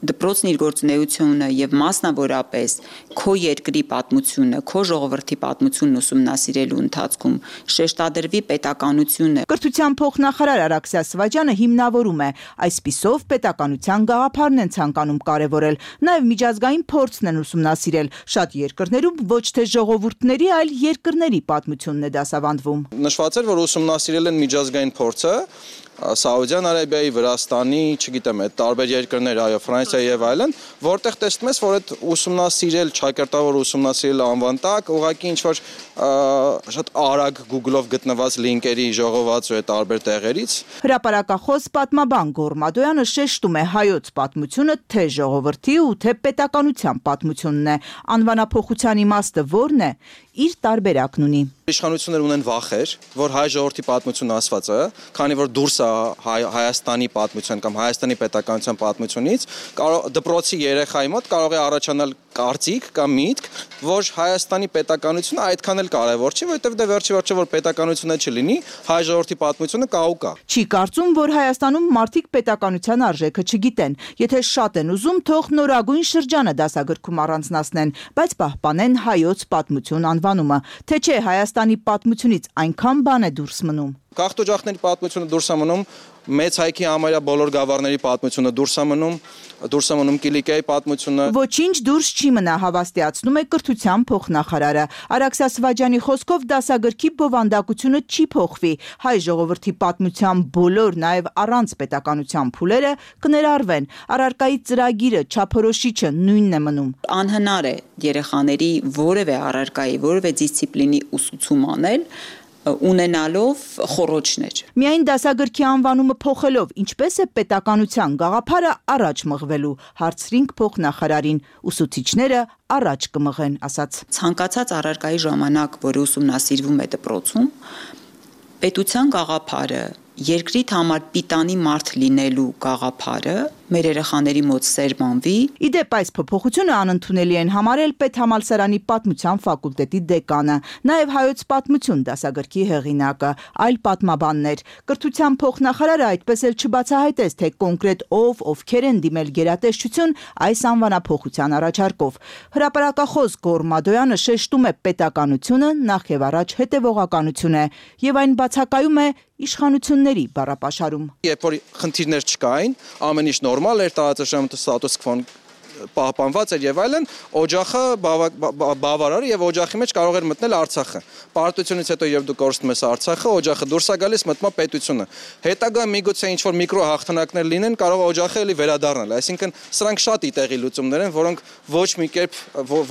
դպրոցն իր գործունեությունը եւ մասնավորապես քո երկրի պատմությունը, քո ժողովրդի պատմությունն ուսումնասիրելու ընթացքում շեշտադրվի պետականությունը։ Կրթության փոխնախարար Արաքսիա Սվաջյանը հիմնավորում է, այսպիսով պետականության գաղափարն են ցանկանում կարևորել, նաեւ միջազգային փորձն են ուսումնասիրել։ Շատ երկրներում ոչ թե ժողովուրդների, այլ երկրների պատմությունն է դասավանդվում։ Նշված էր, որ ուսումնասիրել են միջազգային փորձը Սաուդյան Արաբիայի, Վրաստանի, չգիտեմ, այդ տարբեր երկրներ, այո, Ֆրանսիայի եւ այլն, որտեղ տեսնում ես, որ այդ ուսումնասիրել, ճակերտավոր ուսումնասիրել անվան տակ, ուղղակի ինչ որ շատ արագ Google-ով գտնված լինկերի ժողոված ու այդ տարբեր տեղերից։ Հրապարակախոս պատմաբան Գոռ Մադոյանը շեշտում է հայոց պատմությունը թե ժողովրդի ու թե պետականության պատմությունն է։ Անվանափոխության իմաստը ո՞րն է։ Իր տարբերակն ունի։ Իշխանությունները ունեն վախեր, որ հայ ժողովրդի պատմությունը ասված է, քանի որ դուրս է Հայաստանի պատմության կամ Հայաստանի պետականության պատմությունից, դպրոցի երեխայի մոտ կարող է առաջանալ կարծիք կամ միտք, որ Հայաստանի պետականությունը այդքան էլ կարևոր չի, որովհետև դե վերջի վերջը որ պետականությունը չլինի, հայ ժողովրդի պատմությունը կա ու կա։ Չի կարծում, որ Հայաստանում մարդիկ պետականության արժեքը չգիտեն։ Եթե շատ են ուզում, թող նորագույն շրջանը դասագրքում առանձնացնեն, բայց պահպանեն հայոց պատմություն անվանումը, թե չէ Հայաստանի պատմությունից այնքան բան է դուրս մնում։ Գաղթօջախների պատմությունը դուրս է մնում, մեծ հայքի համարյա բոլոր գավառների պատմությունը դուրս է մնում, դուրս է մնում Կիլիկիայի պատմությունը։ Ոչինչ դուրս չի մնա, հավաստիացնում է կրթության փոխնախարարը։ Արաքսա Սվաջյանի խոսքով դասագրքի բովանդակությունը չի փոխվի։ Հայ ժողովրդի պատմության բոլոր, նաև առանց պետականության փուլերը կներառվեն։ Առարկայի ծրագիրը, չափորոշիչը նույնն է մնում։ Անհնար է երեխաների որևէ առարկայի, որևէ դիսցիպլինի ուսուցում անել ունենալով խոռոչներ։ Միայն դասագրքի անվանումը փոխելով, ինչպես է պետականության գաղափարը առաջ մղվելու, հարցրինք փոխնախարարին, ուսուցիչները առաջ կմղեն, ասաց։ Ցանկացած առարկայի ժամանակ, որը ուսումնասիրվում է դպրոցում, պետության գաղափարը, երկրիդ համար պիտանի մարդ լինելու գաղափարը մեր երեխաների մոտ սերմանվի։ Իդեպ այս փոփոխությունը անընդունելի են համարել Պետհամալսարանի պատմության ֆակուլտետի դեկանը, նաև հայոց պատմություն դասագրքի հեղինակը, այլ պատմաբաններ։ Կրթության փոխնախարարը այդպես էլ չբացահայտեց, թե կոնկրետ ով, ովքեր են դիմել գերատեսչություն այս անվանափոխության առաջարկով։ Հրապարակախոս Գոռ Մադոյանը շեշտում է պետականությունը նախ եւ առաջ հետևողականություն է եւ այն բացակայում է իշխանությունների բառապաշարում։ Երբ որ խնդիրներ չկային, ամեն ինչ նորմալ էր, տարածաշրջանում ստատուս քվոն պահպանված էր եւ այլն, օջախը բավարար եւ օջախի մեջ կարող էր մտնել Արցախը։ Պարտությունից հետո երբ դու կորցնում ես Արցախը, օջախը դուրս է գալիս, մտնում է պետությունը։ Հետագա միգուցե ինչ որ միկրո հաղթանակներ լինեն, կարող է օջախը էլի վերադառնալ։ Այսինքն սրանք շատ իտեղի լուծումներ են, որոնք ոչ մի կերպ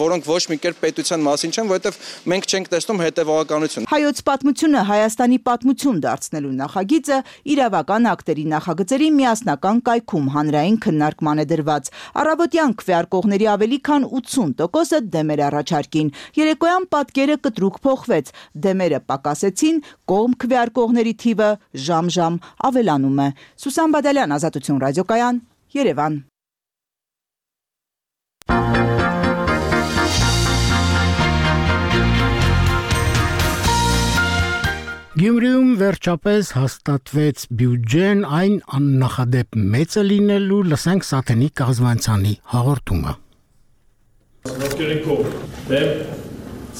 որոնք ոչ մի կերպ պետության մասին չեն, որովհետեւ մենք չենք տեսնում հետևողականություն։ Հայոց պատմությունը Հայաստանի պատմություն դարձնելու նախագիծը իրավական ակտերի նախագծերի միասնական կայքում հանրային քննարկման է դրված։ Առավոտյան քվեարկողների ավելի քան ութսուն տոկոսը դեմ էր առաջարկին։ Երեկոյան պատկերը կտրուկ փոխվեց, դեմերը պակասեցին, կողմ քվեարկողների թիվը ժամ-ժամ ավելանում է։ Սուսան Բադալյան, Ազատություն ռադիոկայան, Երևան։ Գյումրիում վերջապես հաստատվեց բյուջեն, այն աննախադեպ մեծը լինելու, լսենք Սաթենի Կազմանցյանի հաղորդումը։ Ովքերիկով դեմ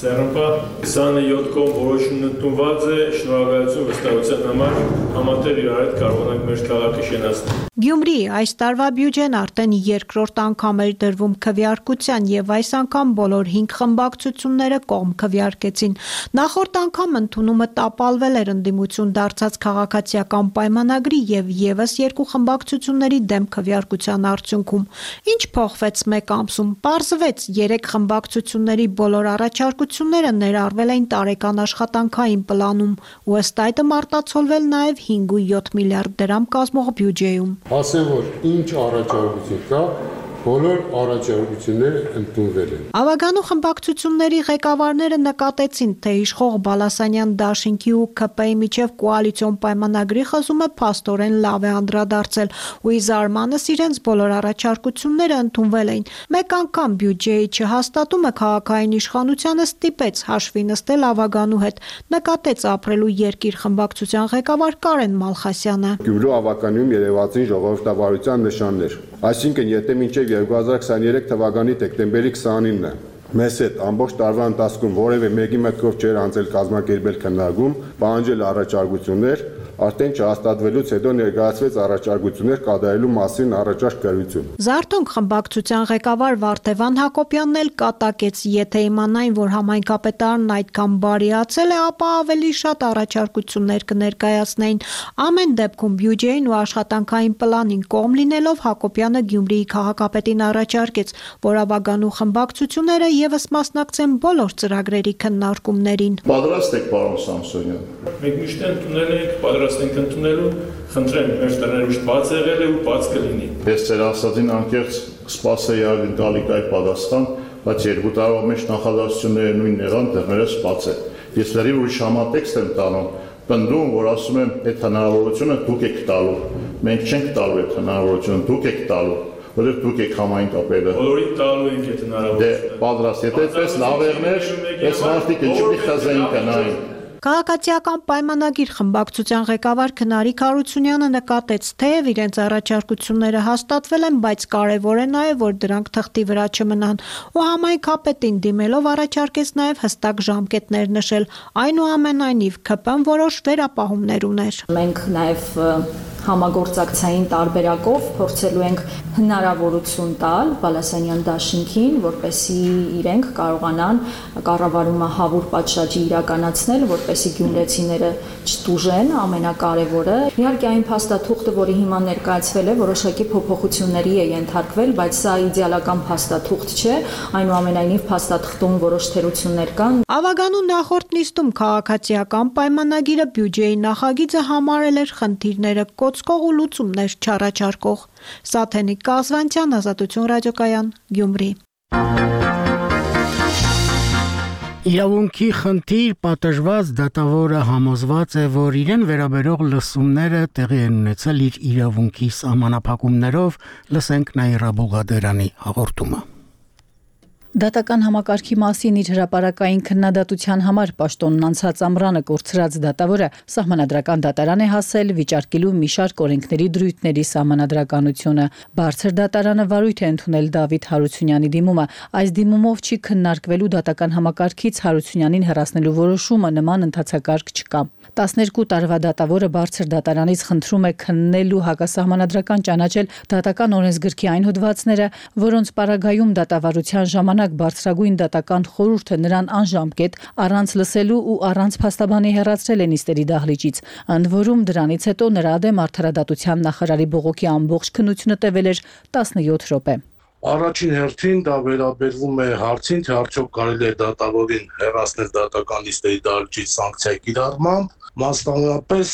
Սերամպա քսաներկու կողմ որոշումն ընդունված է, շնորհակալություն վստահության համար, համատեղ իրար հետ կարողանանք մեր քաղաքը շենացնել։ Գյումրիի այս տարվա բյուջեն արդեն երկրորդ անգամ էր դրվում քվեարկության եւ այս անգամ բոլոր հինգ խմբակցությունները կողմ քվեարկեցին։ Նախորդ անգամ ընդունումը տապալվել էր ընդդիմություն դարձած քաղաքացիական պայմանագրի եւ եւս երկու խմբակցությունների դեմ քվեարկության արդյունքում։ Ինչ փոխվեց մեկ ամսում։ Պարզվեց երեք խմբակցությունների բոլոր առաջարկությունները ներառվել էին տարեկան աշխատանքային պլանում, ու ըստ այդմ արտացոլվել նաեւ հինգ միլիարդ դրամ կազմող բյուջեում։ Ասեմ, որ ինչ առաջարկություն կա, բոլոր առաջարկությունները ընդունվել են։ Ավագանու խմբակցությունների ղեկավարները նկատեցին, թե իշխող Բալասանյան դաշինքի ու ՔՊ-ի միջև կոալիցիոն պայմանագրի խզումը փաստորեն լավ է անդրադարձել, ու ի զարմանս իրենց բոլոր առաջարկությունները ընդունվել էին։ Մեկ անգամ բյուջեի չհաստատումը քաղաքային իշխանությանը ստիպեց հաշվի նստել ավագանու հետ, նկատեց Ապրելու երկիր խմբակցության ղեկավար Կարեն Մալխասյանը։ Գյումրու ավականիում երևացին ժողովրդավարության նշաններ։ Այսինքն, եթե մինչև երկու հազար քսաներեք թվականի դեկտեմբերի քսանինը մեզ հետ ամբողջ տարվա ընթացքում որևէ մեկի մտքով չէր անցել կազմակերպել քննարկում, պահանջել առաջարկություններ, արդեն չհաստատվելուց հետո ներկայացվեց առաջարկություններ կատարելու մասին առաջարկ գրություն։ Զարթոնք խմբակցության ղեկավար Վարդևան Հակոբյանն էլ կատակեց, եթե իմանային, որ համայնքապետարանն այդքան բարիացել է, ապա ավելի շատ առաջարկություններ կներկայացնեին։ Ամեն դեպքում բյուջեին ու աշխատանքային պլանին կողմ լինելով Հակոբյանը Գյումրիի քաղաքապետին առաջարկեց, որ ավագանու խմբակցությունները եւս մասնակցեն բոլոր ծրագրերի քննարկումներին։ Պատրաստ եք, պարոն Սամսոնյան։ Մենք միշտ ընդունել ենք, պատրաստ ենք ընդունելու, խնդրեմ, մեր տները միշտ բաց եղել է ու բաց կլինի։ Ես ձեր ասածին անկեղծ կսպասեի ակնկալիք այդ պատասխան, բայց երկու տարվա մեջ նախադասությունները նույնն եղան, դեռ բաց է։ Ես լրիվ ուրիշ համատեքստ եմ տանում, պնդում, որ ասում եմ, այդ հնարավորությունը դուք եք տալու։ Մենք չենք տալու այդ հնարավորությունը, դուք եք տալու։ Որը դուք եք համայնքապետը։ Բոլորին տալու ենք այդ հնարավորությունը։ Դե պատրաստ, եթե այդպես լավ եղներ, այս մարդիկ ինչի՞ խզային կանային։ Քաղաքացիական պայմանագիր խմբակցության ղեկավար Քնարիկ Հարությունյանը նկատեց, թեև իրենց առաջարկությունները հաստատվել են, բայց կարևոր է նաև, որ դրանք թղթի վրա չմնան, ու համայնքապետին դիմելով առաջարկեց նաև հստակ ժամկետներ նշել։ Այնուամենայնիվ K P-ն որոշ վերապահումներ ուներ։ Մենք նաև համագործակցային տարբերակով փորձելու ենք հնարավորություն տալ Բալասանյան դաշինքին, որպեսզի իրենք կարողանան կառավարումը հավուր պատշաճի իրականացնել, որպեսզի գյումրեցիները չտուժեն, ամենակարևորը։ Իհարկե այն փաստաթուղթը, որի հիման ներկայացվել է, որոշակի փոփոխությունների է ենթարկվել, բայց սա իդեալական փաստաթուղթ չէ, այնուամենայնիվ փաստաթղթում որոշ թերություններ կան։ Ավագանու նախորդ նիստում քաղաքացիական պայմանագիրը բյուջեի նախագիծը համարել էր խնդիրները կոծկող ու լուծումներ չառաջարկող։ Սաթենիկ Կազվանցյան, Ազատություն ռադիոկայան, Գյումրի։ Իրավունքի խնդիր պատժված դատավորը համոզված է, որ իրեն վերաբերող լսումները տեղի են ունեցել իր իրավունքի սահմանափակումներով, լսենք Նաիրա Բուղադերանի հաղորդումը։ Դատական համակարգի մասին իր հրապարակային քննադատության համար պաշտոնն անցած ամռանը կորցրած դատավորը սահմանադրական դատարան է հասել վիճարկելու մի շարք օրենքների դրույթների սահմանադրականությունը։ Բարձր դատարանը վարույթ է ընդունել Դավիթ Հարությունյանի դիմումը։ Այս դիմումով չի քննարկվելու դատական համակարգից Հարությունյանին հեռացնելու որոշումը, նման ընթացակարգ չկա։ տասներկու տարվա դատավորը բարձր դատարանից խնդրում է քննել ու հակասահմանադրական ճանաչել դատական օրենսգրքի այն հոդվածները, որոնց պարագայում դատավարության ժամանակ բարձրագույն դատական խորհուրդը նրան անժամկետ առանց լսելու ու առանց փաստաբանի հեռացրել է նիստերի դահլիճից։ Ընդ որում դրանից հետո նրա դեմ արդարադատության նախարարի բողոքի ամբողջ քննությունը տևել էր տասնյոթ րոպե։ Առաջին հերթին դա վերաբերվում է հարցին, թե արդյոք կարելի է դատավորին հեռացնել դատական նիստերի դահլիճից սանկցիայի կիրառմամբ, մասնավորապես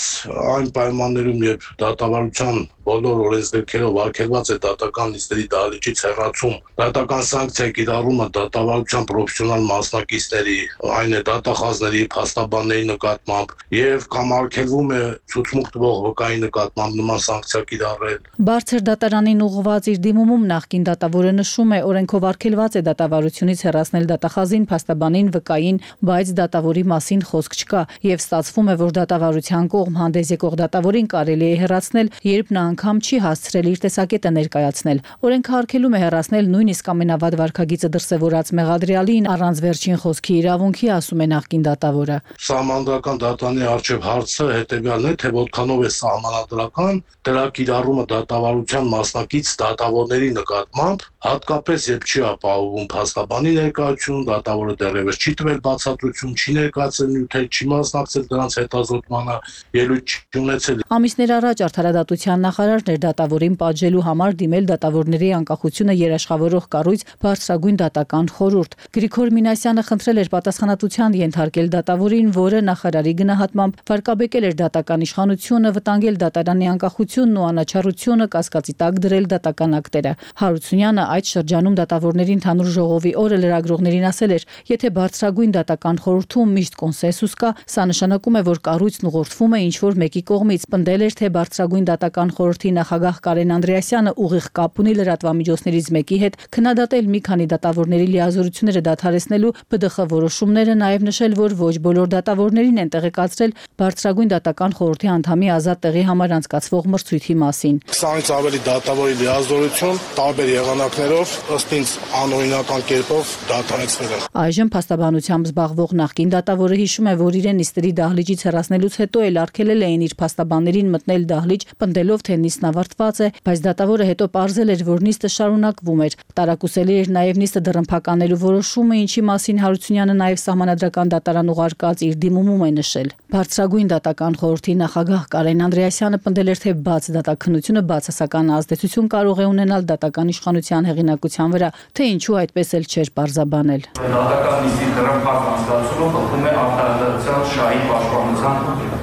այն պայմաններում, երբ դատավարության բոլոր օրենսգրքերով արգելված է դատական նիստերի դահլիճից հեռացում, դատական սանկցիայի կիրառումը դատավարության պրոֆեսիոնալ մասնակիցների, այն է դատախազների, փաստաբանների նկատմամբ եւ կամ արգելվում է ցուցմուկ տվող վկայի նկատմամբ նման սանկցիա կիրառել։ Բարձր դատարանին ուղղված իր դիմումում նախկին դատավորը նշում է, օրենքով արգելված է դատավարությունից հեռացնել դատախազին, փաստաբանին, վկային, բայց դատավորի մասին խոսք չկա եւ ստացվում է, որ դատավարության կողմ հանդես եկող դատավորին կարելի է հեռացնել, երբ նա անգամ չի հասցրել իր տեսակետը ներկայացնել։ Օրենքը արգելում է հեռացնել նույնիսկ ամենավատ վարքագիծը դրսևորած մեղադրյալին առանց վերջին խոսքի իրավունքի, ասում է նախկին դատավորը։ Սահմանադրական դատանի արչև հարցը հետեւյալն է, թե որքանով է սահմանադրական դրա կիրառումը դատավարության մասնակից դատավորների նկատմամբ, հատկապես երբ չի ապահովում փաստաբանի ներկայություն, դատավորը դեռևս չի տվել բացատրություն, չի ներկայացել նյութեր, չի մասնակցել դրանց հետազոտմանը, ելույթ չի ունեցել։ Ամիսներ առաջ արդարադատության նախարարն էր դատավորին պատժելու համար դիմել դատավորների անկախությունը երաշխավորող կառույց բարձրագույն դատական խորհուրդ։ Գրիգոր Մինասյանը խնդրել էր պատասխանատվության ենթարկել դատավորին, որը նախարարի գնահատմամբ վարկաբեկել էր դատական իշխանությունը, վտանգել դատարանի անկախությունն ու անաչառությունը, կասկածի տակ դրել դատական ակտերը։ Հարությունյանը այդ շրջանում դատավորների ընդհանուր ժողովի օրը լրագրողներին ասել էր, եթե բարձրագույն դատական խորհրդում միշտ կոնսենսուս կա, սա նշանակում է, որ կառույցն ուղղորդվում է ինչ-որ մեկի կողմից։ Պնդել էր, թե բարձրագույն դատական խորհրդի նախագահ Կարեն Անդրեասյանը ուղիղ կապ ունի լրատվամիջոցներից մեկի հետ քննադատել մի քանի դատավորների լիազորությունները դադարեցնելու Բ Դ Խ որոշումները, նաև նշել, որ ոչ բոլոր դատավորներին են տեղեկացրել բարձրագույն դատական խորհրդի անդամի ազատ տեղի համար անցկացվող մրցույթի մասին։ քսանից ավելի դատավորի լիազորություն տարբեր եղանակներով ըստ ինձ անօրինական կերպով դադարեցվել են։ Այժմ փաստաբանությամբ զբաղվող նախկին դատավորը հիշում է, որ իրեն նիստերի դահլիճից հեռացնելուց հետո էլ արգելել էին իր փաստաբաններին մտնել դահլիճ, պնդելով, թե նիստն ավարտված է, բայց դատավորը հետո պարզել էր, որ նիստը շարունակվում էր։ Տարակուսելի էր նաև նիստը դռնփականելու որոշումը, ինչի մասին Հարությունյանը նաև սահմանադրական դատարան ուղարկած իր դիմումում է նշել։ Բարձրագույն դատական խորհրդի նախագահ Կարեն Անդրեասյանը պնդել էր, թե բաց դատաքննությունը բացասական ազդեցություն կարող է ունենալ դատական իշխանության հեղինակության վրա, թե ինչու այդպես էլ չէր պարզաբանել։ Դատական նիստի դռնփակ անցկացումը խախտում է արդարադատության շահի պաշտպանության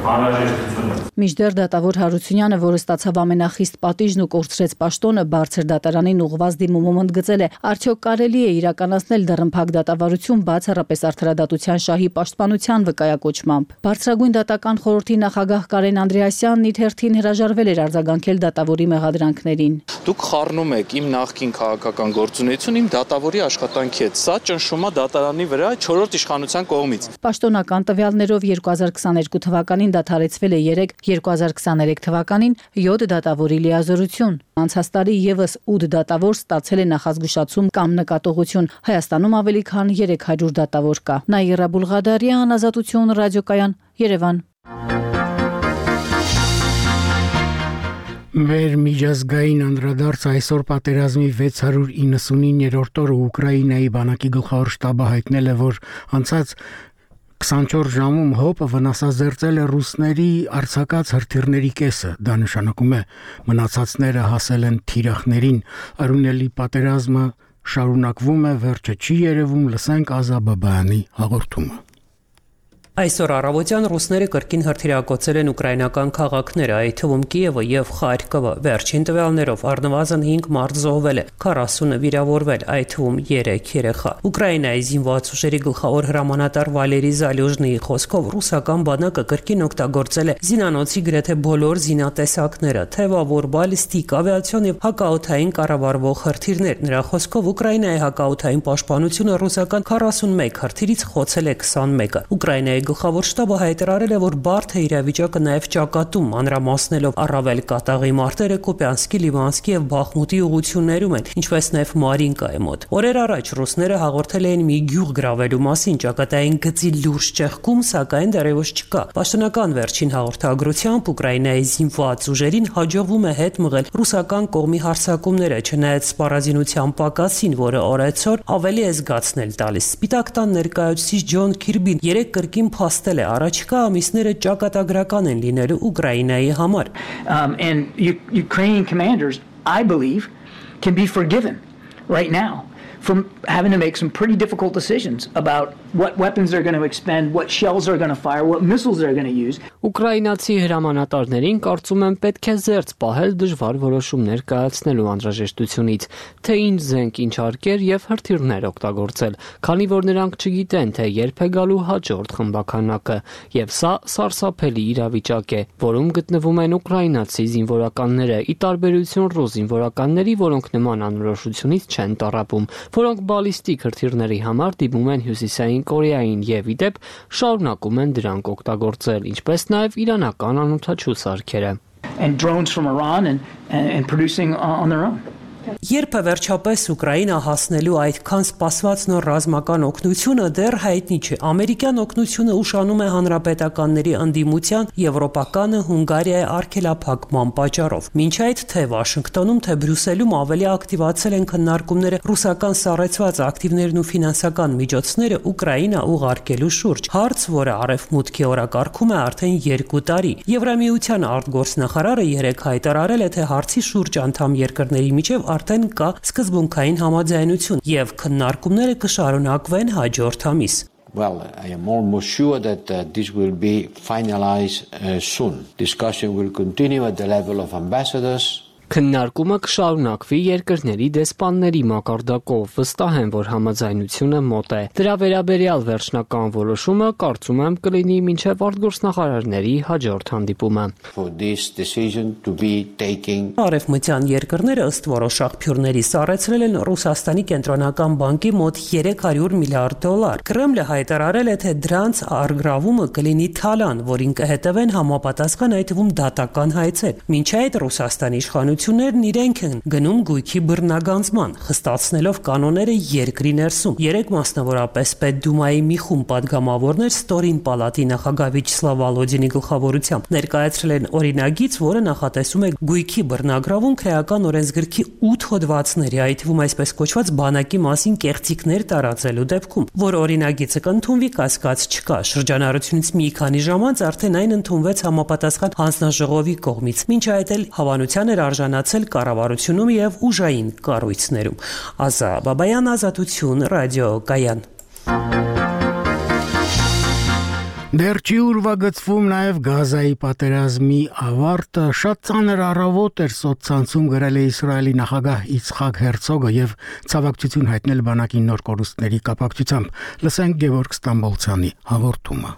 անհրաժեշտությունը։ Մինչդեռ դատավոր Հարությունյանը, որը ստացավ ամենախիստ պատիժն ու կորցրեց պաշտոնը, բարձր դատարանին ուղղված դիմումում ընդգծել է, արդյոք կարելի է իրականացնել դռնփակ դատավարություն բացառապես արդարադատության շահի պաշտպանության վկայակոչմամբ։ Բարձրագույն դատական խորհրդի նախագահ Կարեն Անդրեասյանն իր հերթին հրաժարվել էր արձագանքել դատավորի մեղադրանքներին։ դուք խառնում եք իմ նախկին քաղաքական գործունեություն իմ դատավորի աշխատանքի հետ։ Սա ճնշում է դատարանի վրա չորրորդ իշխանության կողմից։ Պաշտոնական տվյալներով երկու հազար քսաներկու թվականին դադարեցվել է երեք, երկու հազար քսաներեք թվականին յոթ դատավորի լիազորություն։ Անցած տարի եւս ութ դատավոր ստացել է նախազգուշացում կամ նկատողություն։ Հայաստանում ավելի քան երեք հարյուր դատավոր կա։ Նաիրա Բուլղադարյան, Ազատություն, ռադիոկայան, Երևան։ Մեր միջազգային անդրադարձ այսօր պատերազմի վեց հարյուր իննսունիններորդ օրը Ուկրաինայի բանակի գլխավոր շտաբը հայտնել է, որ անցած քսանչորս ժամում հոպը վնասազերծել է ռուսների արձակած հրթիռների կեսը։ Դա նշանակում է մնացածները հասել են թիրախներին։ Արունելի պատերազմը շարունակվում է, վերջը չի երևում, լսենք Ազա Բաբայանի հաղորդումը։ Այսօր առավոտյան ռուսները կրկին հրթիռակոծել են ուկրաինական քաղաքները, այդ թվում Կիևը եւ Խարկովը։ Վերջին տվյալներով առնվազն հինգ մարդ զոհվել է, քառասունը վիրավորվել, այդ թվում երեք երեխա։ Ուկրաինայի զինված ուժերի գլխավոր հրամանատար Վալերի Զալյուժնիի խոսքով ռուսական բանակը կրկին օգտագործել է զինանոցի գրեթե բոլոր զինատեսակները, թեւավոր, բալիստիկ, ավիացիոն եւ հակաօդային կառավարվող հրթիռներ։ Նրա խոսքով Ուկրաինայի հակաօդային պաշտպանությունը ռուսական քառասունմեկ հրթիռից խոցել է քսանմեկը։ Ուկրաինայի գլխավոր շտաբը հայտարարել է, որ բարդ է իրավիճակը նաև ճակատում, մանրամասնելով առավել կատաղի մարտերը Կոպյանսկի, Լիվանսկի եւ Բախմուտի ուղություններում են, ինչպես նաև Մարինկայի մոտ։ Օրեր առաջ ռուսները հաղորդել էին մի գյուղ գրավելու մասին, ճակատային գծի լուրջ ճեղքում, սակայն դեռևս չկա։ Պաշտոնական վերջին հաղորդագրությամբ Ուկրաինայի զինված ուժերին հաջողվում է հետ մղել ռուսական կողմի հարձակումները, չնայած սպառազինության պակասին, որը օրեցօր ավելի է զգացնել տալիս։ Սպիտակ տան ներկայացուցիչ Ջոն Քիրբին երեք կրկին փաստել է, առաջիկա ամիսները ճակատագրական են լինելու Ուկրաինայի համար։ Um, and U- Ukrainian commanders, I believe, can be forgiven right now from having to make some pretty difficult decisions about what weapons they're going to expend, what shells they're going to fire, what missiles they're going to use. Ուկրաինացի հրամանատարներին կարծում եմ պետք է զերծ պահել դժվար որոշումներ կայացնելու անհրաժեշտությունից, թե ինչ զենք ինչարկեր եւ հրթիռներ օգտագործել, քանի որ նրանք չգիտեն, թե երբ է գալու հաջորդ խմբականակը, եւ սա սարսափելի իրավիճակ է, որում գտնվում են ուկրաինացի զինվորականները, ի տարբերություն ռուս զինվորականների, որոնք նման անորոշությունից չեն տառապում, որոնք բալիստիկ հրթիռների համար դիմում են Հյուսիսային Կորեային եւ ի դեպ շարունակում են դրանք օգտագործել, ինչպես նաև իրանական անօդաչու սարքերը։ And drones from Iran and, and, and producing on their own. Երբ է վերջապես Ուկրաինա հասնելու այդքան սպասված նոր ռազմական օգնությունը դեռ հայտնի չէ։ Ամերիկյան օգնությունը ուշանում է հանրապետականների ընդդիմության, եվրոպականը Հունգարիայի արգելափակման պատճառով։ Մինչ այդ թե Վաշինգտոնում, թե Բրյուսելում ավելի ակտիվացել են քննարկումները ռուսական սառեցված ակտիվներն ու ֆինանսական միջոցները Ուկրաինա ուղարկելու շուրջ։ Հարց, որը արևմուտքի օրակարգում է արդեն երկու տարի։ Եվրամիության արտգործնախարարը երեկ հայտարարել է, թե հարցի շուրջ անդամ երկրների միջև արդեն կա սկզբունքային համաձայնություն եւ քննարկումները կշարունակվեն հաջորդ ամիս։ Well, I am almost sure that uh, this will be finalized uh, soon. Discussion will continue at the level of ambassadors. Քննարկումը կշարունակվի երկրների դեսպանների մակարդակով, վստահ եմ, որ համաձայնությունը մոտ է։ Դրա վերաբերյալ վերջնական որոշումը կարծում եմ կլինի մինչև արտգործնախարարների հաջորդ հանդիպումը։ For this decision to be taken. Արևմտյան երկրները ըստ որոշ աղբյուրների սառեցրել են Ռուսաստանի կենտրոնական բանկի մոտ երեք հարյուր միլիարդ դոլար։ Կրեմլը հայտարարել է, թե դրանց առգրավումը կլինի թալան, որին կհետևեն համապատասխան այդ թվում դատական հայցեր։ Մինչ այդ Ռուսաստանի իշխանություններն իրենք են գնում գույքի բռնագանձման, խստացնելով կանոնները երկրի ներսում։ Երեք մասնավորապես Պետդումայի մի խումբ падգամավորներ Ստորին պալատի նախագահ Վիչսլավ Վալոդինի գլխավորությամբ ներկայացրել են օրինագիծ, որը նախատեսում է գույքի բռնագրավում քրեական օրենսգրքի ութ հոդվածների, այդ թվում այսպես կոչված բանակի մասին կեղծիքներ տարածելու դեպքում, որ օրինագիծը կընդունվի կասկած չկա։ Շրջանառությունից մի քանի ժամ անց արդեն այն ընդունվեց համապատասխան հանձնաժողովի կողմից։ Մինչ այդ էլ հավանության էր արժանացել կառավարությունում եւ ուժային կառույցներում։ Ազա Բաբայան, Ազատություն, ռադիոկայան։ Դեռ չի ուրվագծվում նաև Գազայի պատերազմի ավարտը, շատ ծանր առավոտ էր սոցցանցում գրել է Իսրայելի նախագահ Իցխակ Հերցոգը եւ ցավակցություն հայտնել բանակի նոր կորուստների կապակցությամբ։ Լսենք Գևորգ Ստամբոլցյանի հաղորդումը։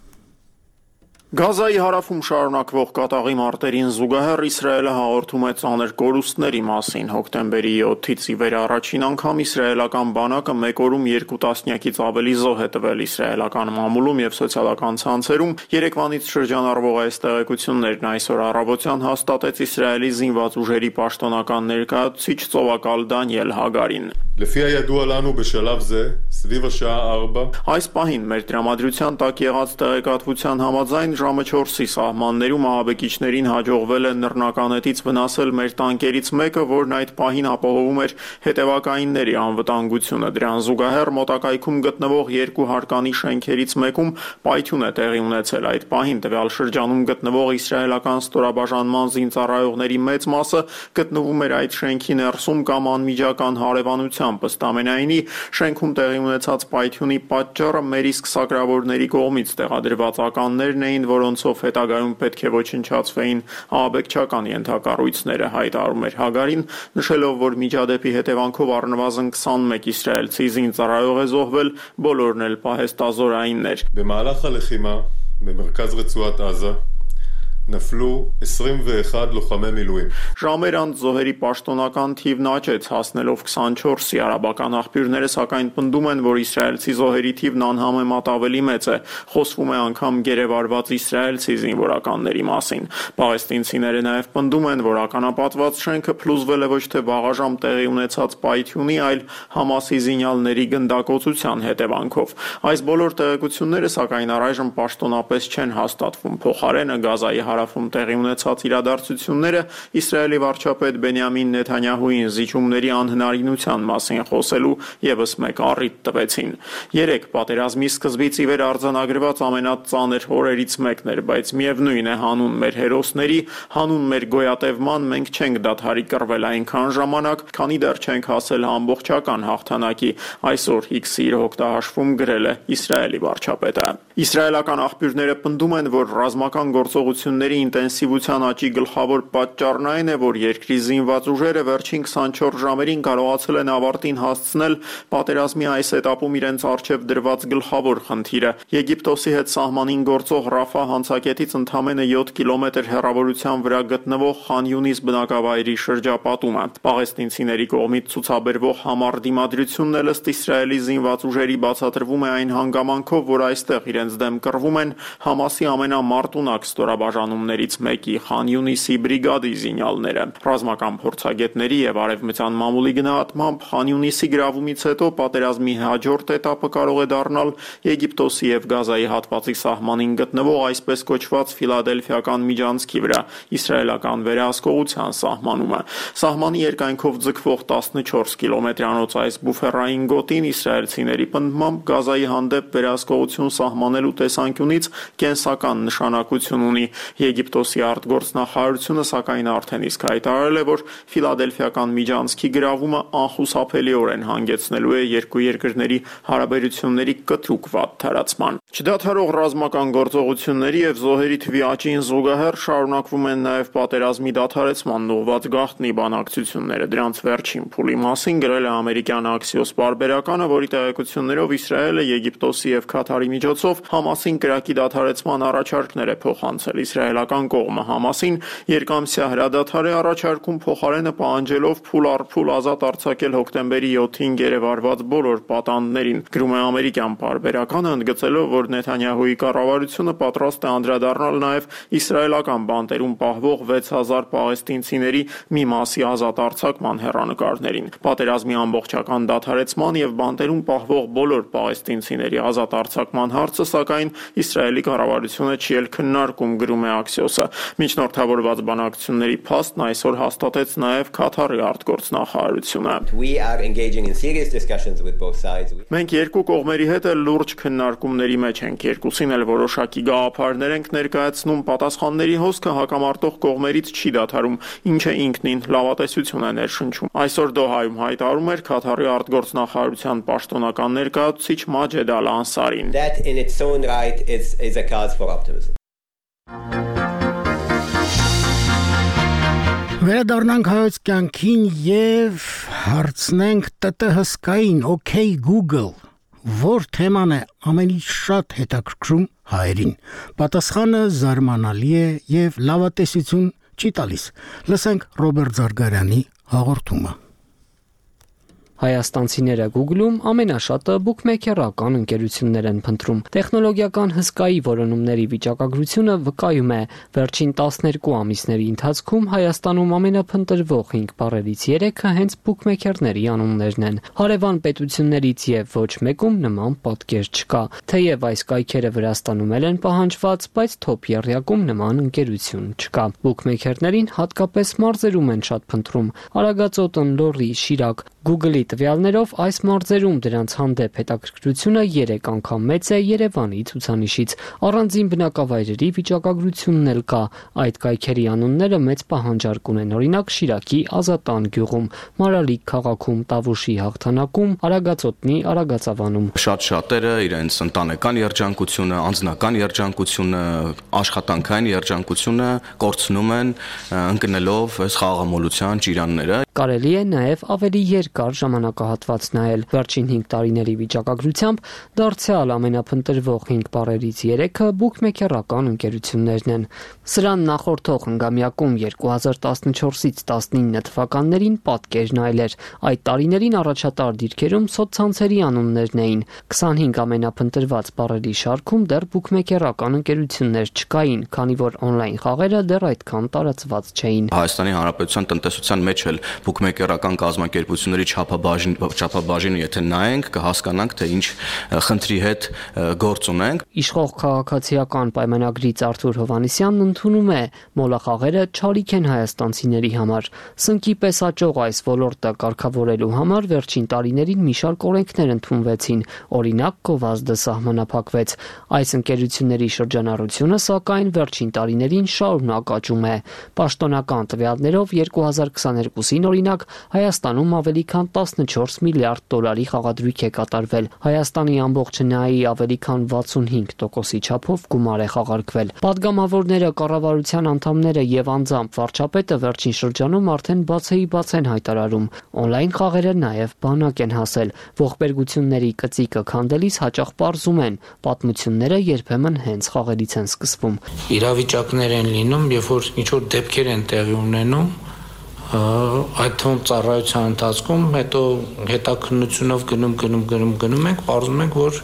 Գազայի հարավում շարունակվող կատաղի մարտերին զուգահեռ Իսրայելը հաղորդում է ծանր կորուստների մասին։ Հոկտեմբերի յոթից ի վեր առաջին անգամ իսրայելական բանակը մեկ օրում երկու տասնյակից ավելի զոհ է տվել իսրայելական մամուլում եւ սոցիալական ցանցերում։ Երեկվանից շրջանառվող այս տեղեկություններն այսօր առավոտյան հաստատեց Իսրայելի զինված ուժերի պաշտոնական ներկայացուցիչ ծովակալ Դանիել Հագարին։ Այս պահին մեր տրամադրության տակ եղած տեղեկատվության համաձայն ժամը չորսի սահմաններում ահաբեկիչներին հաջողվել է նռնականետից վնասել մեր տանկերից մեկը, որն այդ պահին ապահովում էր հետևակայինների անվտանգությունը։ Դրան զուգահեռ մոտակայքում գտնվող երկու հարկանի շենքերից մեկում պայթյուն է տեղի ունեցել։ Այդ պահին տվյալ շրջանում գտնվող իսրայելական ստորաբաժանման զինծառայողների մեծ մասը գտնվում էր այդ շենքի ներսում կամ անմիջական հարևանությամբ։ Ըստ ամենայնի, շենքում տեղի ունեցած պայթյունի պատճառը մեր իսկ սակրավորների կողմից տեղադրված ականներն էին, որոնցով հետագայում պետք է ոչնչացվեին ահաբեկչական ենթակառույցները, հայտարարում էր Հագարին, նշելով, որ միջադեպի հետևանքով առնվազն քսանմեկ իսրայելցի զինծառայող է զոհվել, բոլորն էլ պահեստազորայիններ։ նفلו עשרים ואחד լוחամի միլուիմ։ Ժամեր անց զոհերի պաշտոնական թիվն աճեց, հասնելով քսանչորսի։ Արաբական աղբյուրները սակայն պնդում են, որ իսրայելցի զոհերի թիվն անհամեմատ ավելի մեծ է։ Խոսվում է անգամ գերեվարված իսրայելցի զինվորականների մասին։ Պաղեստինցիները նաև պնդում են, որ ականապատված շենքը փլուզվել է ոչ թե վաղաժամ տեղի ունեցած պայթյունի, այլ Համասի զինյալների գնդակոծության հետևանքով։ Այս բոլոր տեղեկությունները սակայն առայժմ պաշտոնապես չեն հաստատվում։ Փոխարենը Գազայի հարավում տեղի ունեցած իրադարձությունները Իսրայելի վարչապետ Բենյամին Նեթանյահուին զիջումների անհնարինության մասին խոսելու եւս մեկ առիթ տվեցին։ Երեք պատերազմի սկզբից ի վեր արձանագրված ամենածանր օրերից մեկն էր, բայց միևնույն է, հանուն մեր հերոսների, հանուն մեր գոյատևման մենք չենք դադարի կռվել այնքան ժամանակ, քանի դեռ չենք հասել ամբողջական հաղթանակի, այսօր X-ի իր հոկտահաշվում գրել է Իսրայելի վարչապետը։ Իսրայելական աղբյուրները պնդում են, որ ռազմական գործողությունների ինտենսիվության աճի գլխավոր պատճառն այն է, որ երկրի զինված ուժերը վերջին քսանչորս ժամերին կարողացել են ավարտին հասցնել պատերազմի այս էտապում իրենց առջև դրված գլխավոր խնդիրը՝ Եգիպտոսի հետ սահմանին գործող Ռաֆա հանցակետից ընդամենը յոթ կիլոմետր հեռավորության վրա գտնվող Խան Յունիս բնակավայրի շրջապատումը։ Պաղեստինցիների կողմից ցուցաբերվող համառ դիմադրությունն էլ ըստ Իսրայելի զինված ուժերի բացատրվում է այն հանգամանքով, որ այստեղ իրենց դեմ կռվում են Համասի ամենամարտունակ ստորաբաժանումներից մեկի Խան Յունիսի բրիգադի զինյալները։ Ռազմական փորձագետների եւ արևմտյան մամուլի գնահատմամբ Խան Յունիսի գրավումից հետո պատերազմի հաջորդ этаպը կարող է դառնալ Եգիպտոսի եւ Գազայի հատվածի սահմանին գտնվող այսպես կոչված Ֆիլադելֆիական միջանցքի վրա իսրայելական վերահսկողության սահմանումը։ Սահմանի երկայնքով ձգվող տասնչորս կիլոմետրանոց այս բուֆերային գոտին իսրայելցիների պնդմամբ Գազայի հանդեպ վերահսկողություն սահմանելու տեսանկյունից կենսական նշանակություն ունի։ Եգիպտոսի արտգործնախարարությունը սակայն արդեն իսկ հայտարարել է, որ Ֆիլադելֆիական միջանցքի գրավումը անխուսափելիորեն հանգեցնելու է երկու երկրների հարաբերությունների կտրուկ վատ թարացման։ Չդադարող ռազմական գործողությունների եւ զոհերի թվի աճին զուգահեռ շարունակվում են նաեւ պատերազմի դադարեցման ուղղված գաղտնի բանակցությունները։ Դրանց վերջին փուլի մասին գրել է ամերիկյան Axios պարբերականը, որի տեղեկություններով Իսրայելը Եգիպտոսի եւ Քաթարի միջոցով Համասին կրակի դադարեցման առաջարկներ է փոխանցել։ Իսրայելական կողմը Համասին երկամսյա հրադադար է առաջարկում, փոխարենը պահանջելով փուլ առ փուլ ազատ արձակել հոկտեմբերի յոթին գերեվարված բոլոր պատանդներին։ Գրում է ամերիկյան պարբերականը, ընդգծելով, որ Նեթանյահուի կառավարությունը պատրաստ է անդրադառնալ նաև իսրայելական բանտերում պահվող վեց հազար պաղեստինցիների մի մասի ազատ արձակման հեռանկարներին։ Պատերազմի ամբողջական դադարեցման եւ բանտերում պահվող բոլոր պաղեստինցիների ազատ արձակման հարցը սակայն Իսրայելի կառավարությունը չի էլ քննարկում, գրում է Axios-ը։ Միջնորդավորված բանակցությունների փաստն այսօր հաստատեց նաև Քաթարի արտգործնախարարությունը։ Մենք երկու կողմերի հետ էլ լուրջ քննարկումների մեջ ենք, երկուսին էլ որոշակի գաղափարներ ենք ներկայացնում, պատասխանների հոսքը հակամարտող կողմերից չի դադարում, ինչը ինքնին լավատեսություն է ներշնչում։ Այսօր Դոհայում հայտարարում էր Քաթարի արտգործնախարարության պաշտոնական ներկայացուցիչ Մաջեդ Ալ-Անսարին։ That in its own right is is a cause for optimism. Վերադառնանք հայոց կյանքին եւ հարցնենք ՏՏ հսկային, OK Google, որ թեման է ամենից շատ հետաքրքրում հայերին։ Պատասխանը զարմանալի է եւ լավատեսություն չի տալիս։ Լսենք Ռոբերտ Զարգարյանի հաղորդումը։ Հայաստանցիները Google-ում ամենաշատը բուքմեյքերական ընկերություններ են փնտրում։ Տեխնոլոգիական հսկայի որոնումների վիճակագրությունը վկայում է, վերջին տասներկու ամիսների ընթացքում Հայաստանում ամենափնտրվող հինգ բառերից երեքը հենց բուքմեյքերների անուններն են։ Հարևան պետություններից եւ ոչ մեկում նման պատկեր չկա։ Թեև այս կայքերը Վրաստանում են պահանջված, բայց թոփ եռյակում նման ընկերություն չկա։ Բուքմեյքերներին հատկապես մարզերում են շատ փնտրում։ Արագածոտն, Լոռի, Շիրակ, Google-ի տվյալներով այս մարզերում դրանց հանդեպ հետաքրքրությունը երեք անգամ մեծ է Երևանի ցուցանիշից։ Առանձին բնակավայրերի վիճակագրությունն էլ կա։ Այդ կայքերի անունները մեծ պահանջարկ ունեն, օրինակ Շիրակի Ազատան գյուղում, Մարալիկ քաղաքում, Տավուշի Հաղթանակում, Արագածոտնի Արագածավանում։ Շատ շատերը իրենց ընտանեկան երջանկությունը, անձնական երջանկությունը, աշխատանքային երջանկությունը կորցնում են ընկնելով այս խաղաղամոլության ճիրանները։ Կարելի է նաև ավելի երկար ժամանակահատված նայել։ Վերջին հինգ տարիների վիճակագրությամբ դարձյալ ամենափնտրվող հինգ բառերից երեքը բուքմեյքերական ընկերություններն են։ Սրան նախորդող հնգամյակում երկու հազար տասնչորսից տասնինը թվականներին պատկերն այլ էր։ Այդ տարիներին առաջատար դիրքերում սոցցանցերի անուններն էին։ քսանհինգ ամենափնտրված բառերի շարքում դեռ բուքմեյքերական ընկերություններ չկային, քանի որ օնլայն խաղերը դեռ այդքան տարածված չէին։ Հայաստանի Հանրապետության տնտեսության մեջ էլ բուքմեյքերական կազմակերպությունների չափաբաժին չափաբաժինը եթե նայենք կհասկանանք թե ինչ խնդրի հետ գործ ունենք։ Իշխող քաղաքացիական պայմանագրից Արթուր Հովհաննիսյանն ընդունում է մոլախաղերը չարիք են հայաստանցիների համար։ Սնկի պես աճող այս ոլորտը կարգավորելու համար վերջին տարիներին մի շարք օրենքներ ընդունվեցին, օրինակ գովազդը սահմանափակվեց։ Այս ընկերությունների շրջանառությունը սակայն վերջին տարիներին շարունակ աճում է։ Պաշտոնական տվյալներով երկու հազար քսաներկուսին օրինակ Հայաստանում ավելի քան տասնչորս միլիարդ դոլարի խաղադրույք է կատարվել։ Հայաստանի ամբողջ հնայի ավելի քան վաթսունհինգ տոկոսի չափով գումար է խաղարկվել։ Պատգամավորները, կառավարության անդամները եւ անձամբ վարչապետը վերջին շրջանում արդեն բացեի բաց են հայտարարում։ Օնլայն խաղերը նաեւ բանակ են հասել։ Ողբերգությունների կծիկը քանդելիս հաճախ պարզում են, պատմությունները երբեմն հենց խաղերից են սկսվում։ Իրավիճակներ են լինում, երբ որ ինչ որ դեպքեր են տեղի ունենում, այդ թվում ծառայության ընթացքում հետո հետաքննությունով գնում գնում գնում գնում ենք, պարզում ենք, որ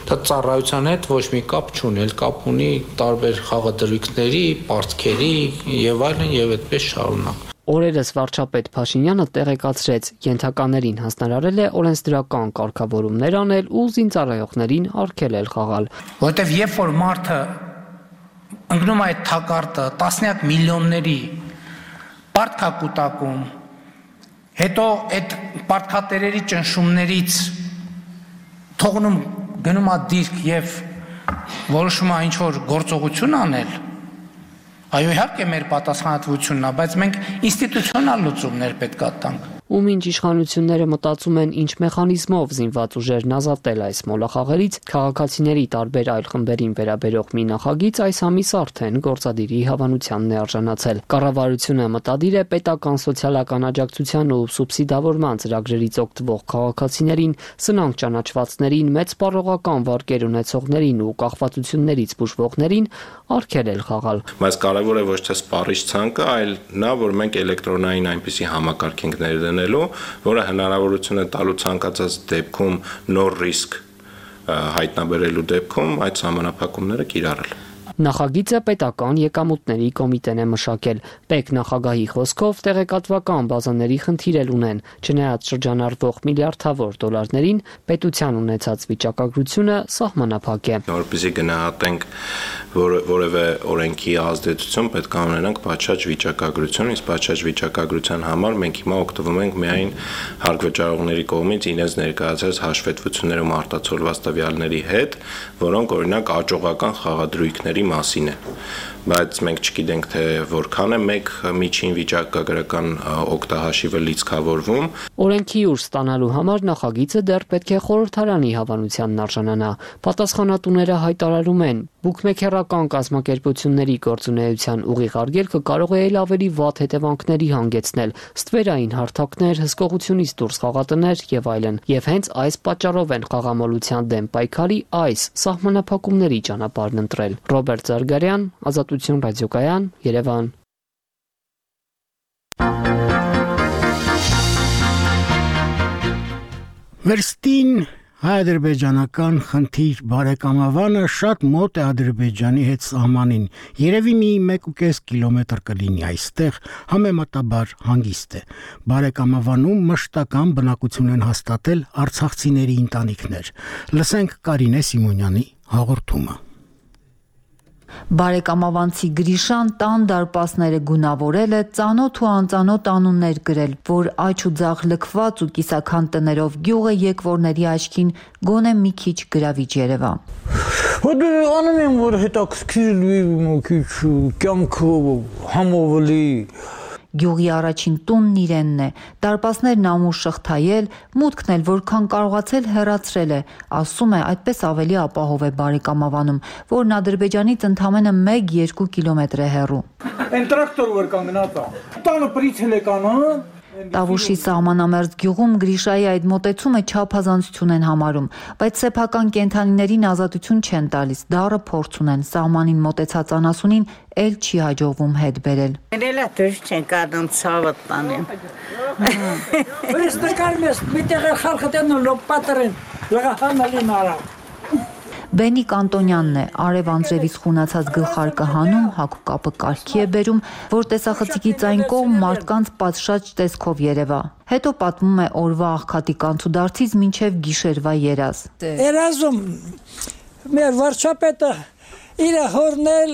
դա ծառայության հետ ոչ մի կապ չունի, կապ ունի տարբեր խաղադրույքների, պարտքերի եւ այլն եւ այդպես շարունակ։ Օրերս վարչապետ Փաշինյանը տեղեկացրեց, ենթականերին հանձնարարել է օրենսդրական կարգավորումներ անել ու զինծառայողներին արգելել խաղալ։ Որտեւ երբ որ մարդը ընկնում է այդ թակարդը տասնյակ միլիոնների պարտքա կուտակում, հետո այդ պարտքատերերի ճնշումներից թողնում գնում է դիրք եւ որոշում է ինչ-որ գործողություն անել, այո իհարկե մեր պատասխանատվությունն է, բայց մենք ինստիտուցիոնալ լուծումներ պետք է տանք։ Ու մինչ իշխանությունները մտածում են ինչ մեխանիզմով զինված ուժերն ազատել այս մոլախաղերից, քաղաքացիների տարբեր այլ խմբերին վերաբերող մի նախագիծ այս ամիս արդեն գործադիրի հավանությանն է արժանացել։ Կառավարությունը մտադիր է պետական սոցիալական աջակցության ու սուբսիդավորման ծրագրերից օգտվող քաղաքացիներին, սնանկ ճանաչվածներին, մեծ պարողական վարկեր ունեցողներին ու կախվածություններից բուժվողներին արգելել խաղալ։ Բայց կարևոր է ոչ թե սպառիչ ցանկը, այլ նա, որ մենք էլեկտրոնային այնպիսի համակարգ ենք ներդնելու, որը հնարավորություն է տալու ցանկացած դեպքում նոր ռիսկ հայտնաբերելու դեպքում այդ սահմանափակումները կիրառել։ Նախագիծը պետական եկամուտների կոմիտեն է մշակել։ Պետ նախագահի խոսքով տեղեկատվական բազաների խնդիր էլ ունեն, չնայած շրջանառվող միլիարդավոր դոլարներին պետության ունեցած վիճակագրությունը սահմանափակ է։ Որպեսզի գնահատենք որևէ օրենքի ազդեցություն, պետք է ունենանք պատշաճ վիճակագրություն, իսկ պատշաճ վիճակագրության համար մենք հիմա օգտվում ենք միայն հարկվճարողների կողմից իրենց ներկայացած հաշվետվություններում արտացոլված տվյալների հետ, որոնք օրինակ աճողական խաղադրույքների մասին է, բայց մենք չգիտենք թե որքան է մեկ միջին վիճակագրական օգտահաշիվը լիցքավորվում։ Օրենքի ուժ ստանալու համար նախագիծը դեռ պետք է խորհրդարանի հավանությանն արժանանա։ Պատասխանատուները հայտարարում են, բուկմեքերական կազմակերպությունների գործունեության ուղիղ արգելքը կարող է ել ավելի վատ հետևանքների հանգեցնել, ստվերային հարթակներ, հսկողությունից դուրս խաղատներ եւ այլն, եւ հենց այս պատճառով են խաղամոլության դեմ պայքարի այս սահմանափակումների ճանապարհն ընտրել։ Ռոբերտ Զարգարյան, Ազատություն ռադիոկայան, Երևան։ Վերստին հայ-ադրբեջանական խնդիր բարեկամավանը շատ մոտ է Ադրբեջանի հետ սահմանին, երևի մի մեկ ու կես կիլոմետր կլինի այստեղ, համեմատաբար հանգիստ է։ Բարեկամավանում մշտական բնակություն են հաստատել արցախցիների ընտանիքներ։ Լսենք Կարինե Սիմոնյանի հաղորդումը։ Բարեկամավանցի Գրիշան տան դարպասները գունավորել է, ծանոթ ու անծանոթ անուններ գրել, որ աջ ու ձախ լքված ու կիսաքան տներով գյուղը եկվորների աչքին գոնե մի քիչ գրավիչ երևա։ Հոդը անում եմ, որ հետաքրքիր մի քիչ կյանքը համովելի։ Գյուղի առաջին տունն իրենն է, դարպասներն ամուր շղթայել, մուտքն էլ որքան կարողացել հեռացրել է, ասում է, այդպես ավելի ապահով է բարեկամավանում, որն Ադրբեջանից ընդամենը մեկ-երկու կիլոմետր է հեռու։ Այն տրակտոր որ կանգնած է, տանը պրիցել է կանը։ Տավուշի սահմանամերձ գյուղում Գրիշայի այդ մոտեցումը չափազանցություն են համարում, բայց սեփական կենդանիներին ազատություն չեն տալիս, դառը փորձ ունեն, սահմանին մոտեցած անասունին էլ չի հաջողվում հետ բերել։ Ներելա դուրս չեն կադում ցավը տանեն։ Ես նկարում ես, մի տեղ խալխը տենու լոպատերեն, լղահանալին արա։ Բենիկ Անտոնյանն է, արև անձրևից խունացած գլխարկը հանում, հագուկապը կարգի է բերում, որ տեսախցիկից այն կողմ մարդկանց պատշաճ տեսքով երևա։ Հետո պատմում է օրվա աղքատի կանցուդարձից մինչև գիշերվա երազ։ Երազում մեր վարչապետը իր հորնել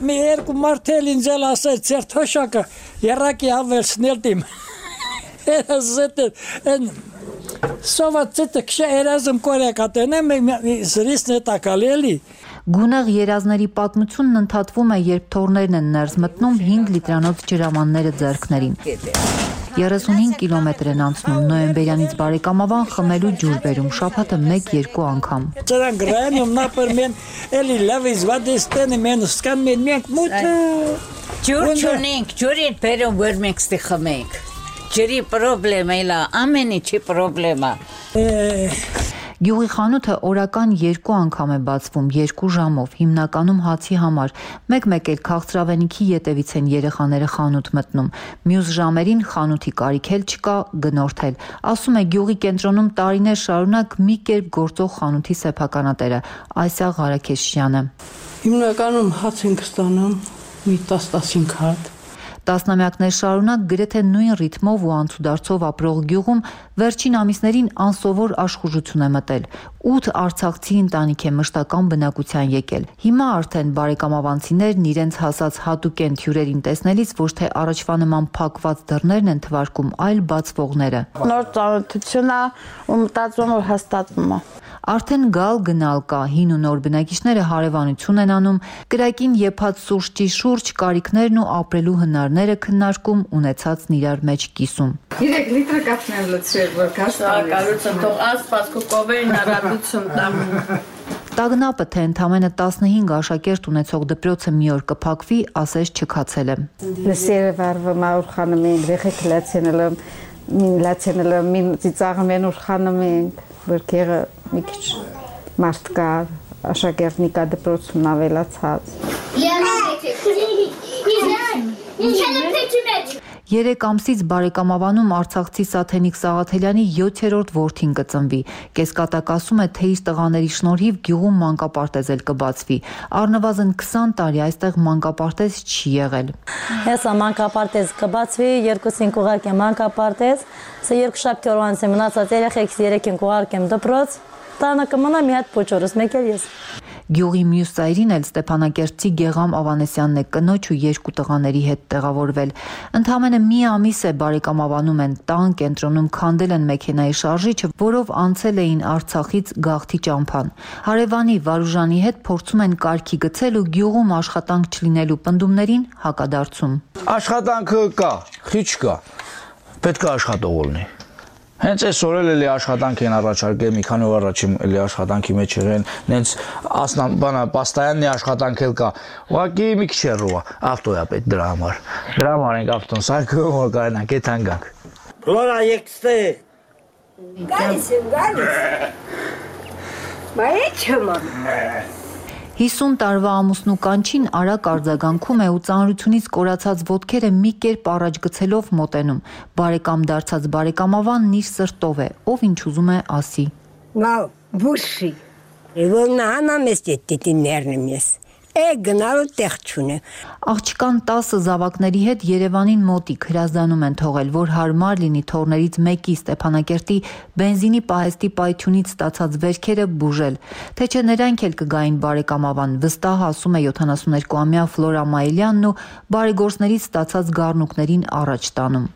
մի երկու մարդել ինձ էլ ասեց, ձեր թոշակը երակի ավելցնել դիմ։ Երազete en Սովացետը քշա երազում կորեկատենեմ զրիսն է տակալելի։ Գունեղ երազների պատմությունն ընդհատվում է, երբ թորներն են ներս մտնում հինգ լիտրանոց ջրամանները ձեռքներին։ երեսունհինգ կիլոմետր են անցնում, նոյեմբերյանից բարեկամավան խմելու ջուր բերում, շաբաթը մեկ-երկու անգամ։ Ծրան գրայում նապր մեն էլի լավիզ վադեստենի մեն սկան մեն մենք մուտ։ Ջուր չունենք, ջուրին բերում որ մենք ստի խմենք։ Ջրի պրոբլեմա իլա, ամենի չի պրոբլեմա։ Գյուղի խանութը օրական երկու անգամ է բացվում, երկու ժամով, հիմնականում հացի համար, մեկ-մեկ էլ քաղցրավենիքի ետևից են երեխաները խանութ մտնում, մյուս ժամերին խանութի կարիք էլ չկա, գնորդել, ասում է գյուղի կենտրոնում տարիներ շարունակ մի կերպ գործող խանութի սեփականատերը, Այսա Ղարաքեշյանը։ Հիմնականում հաց ենք ստանում, մի տասնհինգ հատ։ Տասնամյակներ շարունակ գրեթե նույն ռիթմով ու անցուդարձով ապրող գյուղում վերջին ամիսներին անսովոր աշխուժություն է մտել։ ութ արցախցի ընտանիք է մշտական բնակության եկել։ Հիմա արդեն բարեկամավանցիներն իրենց հասած հատուկենտ հյուրերին տեսնելիս ոչ թե առաջվա նման փակված դռներն են թվարկում, այլ բացվողները։ Նոր ծանոթություն է ու մտածում որ հաստատվում է։ Արդեն գալ գնալ կա, հին ու նոր բնակիչները հարևանություն են անում, կրակին եփած սուրճի շուրջ կարիքներն ու ապրելու հնարները քննարկում, ունեցածն իրար մեջ կիսում։ երեք լիտր կաթն եմ լցրել, որ կաստան։ Կարծում թող ասպասկու կովերին առատություն տամ։ Տագնապը, թե ընդամենը տասնհինգ աշակերտ ունեցող դպրոցը մի օր կփակվի, ասես չքացել է։ Լսերը վարվում ուրխանում ենք, վեխեք լացենելը, մին լացենելը, մին ծիծաղում են ուրխանում ենք, որ կեղը մի քիչ մարդ կա, աշակերտնի կա դպրոցում ավելացած։ Երեք ամսից բարեկամավանում արցախցի Սաթենիկ Սաղաթելյանի յոթերորդ որդին կծնվի։ Կեսկատակ ասում է, թե իր տղաների շնորհիվ գյուղում մանկապարտեզ էլ կբացվի։ Առնվազն քսան տարի այստեղ մանկապարտեզ չի եղել։ Հեսա մանկապարտեզ կբացվի, երկուսին կուղարկեմ մանկապարտեզ, սա երկու շաբթի օրվա անց մնացած երեխեքս երեքին կուղարկեմ դպրոց, տանը կմնա մի հատ փոչորս, մեկ էլ ես։ Գյուղի մյուս ծայրին էլ Ստեփանակերտցի Գեգամ Ավանեսյանն է կնոջ ու երկու տղաների հետ տեղավորվել։ Ընդամենը մի ամիս է բարեկամաբանում են տան կենտրոնում քանդել են մեքենայի շարժիչը, որով անցել էին Արցախից Գաղթի ճամփան։ Հարևանի Վարուժանի հետ փորձում են կարգի գցել ու գյուղում աշխատանք չլինելու պնդումներին հակադարձում։ Աշխատանքը կա, քիչ կա։ Պետք է աշխատող լինի։ Հենց այսօր էլ էլի աշխատանք են առաջարկել, մի քանի օր առաջ էլի աշխատանքի մեջ եղեն, նենց ասնաբանա պաստայաննի աշխատանք էլ կա։ Ուղղակի մի քիչ հեռու է, ավտո է պետք դրա համար։ Դրա համար ենք ավտոն սարքում, որ կարողանանք այդ հանգանք։ Ֆլորա եկստե։ Գալիս եմ, գալիս։ Բայց չմա։ հիսուն տարվա ամուսնու կանչին արագ արձագանքում է ու ծանրությունից կորացած ոտքերը մի կերպ առաջ գցելով մոտենում։ Բարեկամ դարձած բարեկամավանն իր սրտով է, ով ինչ ուզում է ասի։ Լավ, բուշի։ Եվնա անամես դիտիներնեմ ես։ Է գնալու տեղ չունե։ Աղջկան տասը զավակների հետ Երևանին մոտիկ հրազդանում են թողել, որ հարմար լինի թորներից մեկի Ստեփանակերտի բենզինի պահեստի պայթյունից ստացած վերքերը բուժել։ Թե չէ նրանք էլ կգային բարեկամավան, վստահ ասում է յոթանասուններկուամյա Ֆլորա Մայլյանն ու բարեգործներից ստացած գառնուկներին առաջ տանում։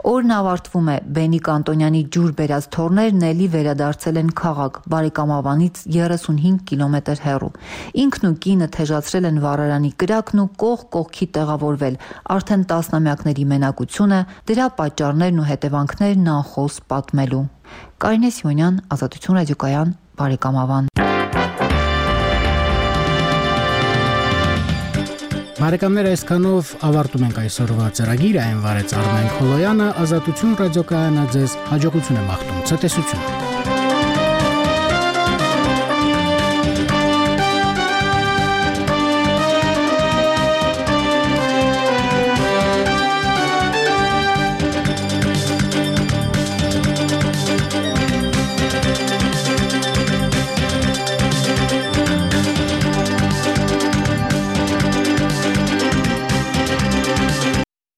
Օրն ավարտվում է, Բենիկ Անտոնյանի ջուր բերած թորներն էլի վերադարձել են քաղաք, բարեկամավանից երեսունհինգ կիլոմետր հեռու։ Ինքն ու կինը թեժացրել են վառարանի կրակն ու կողք կողքի տեղավորվել, արդեն տասնամյակների մենակությունը, դրա պատճառներն ու հետևանքներն անխոս պատմելու։ Կարինե Սիմոնյան, Ազատություն ռադիոկայան, բարեկամավան։ Բարեկամներ, այսքանով ավարտում ենք այսօրվա ծրագիրը, այն վարեց Արմեն Խոլոյանը, Ազատություն ռադիոկայանը ձեզ հաջողություն է մաղթում, ցտեսություն։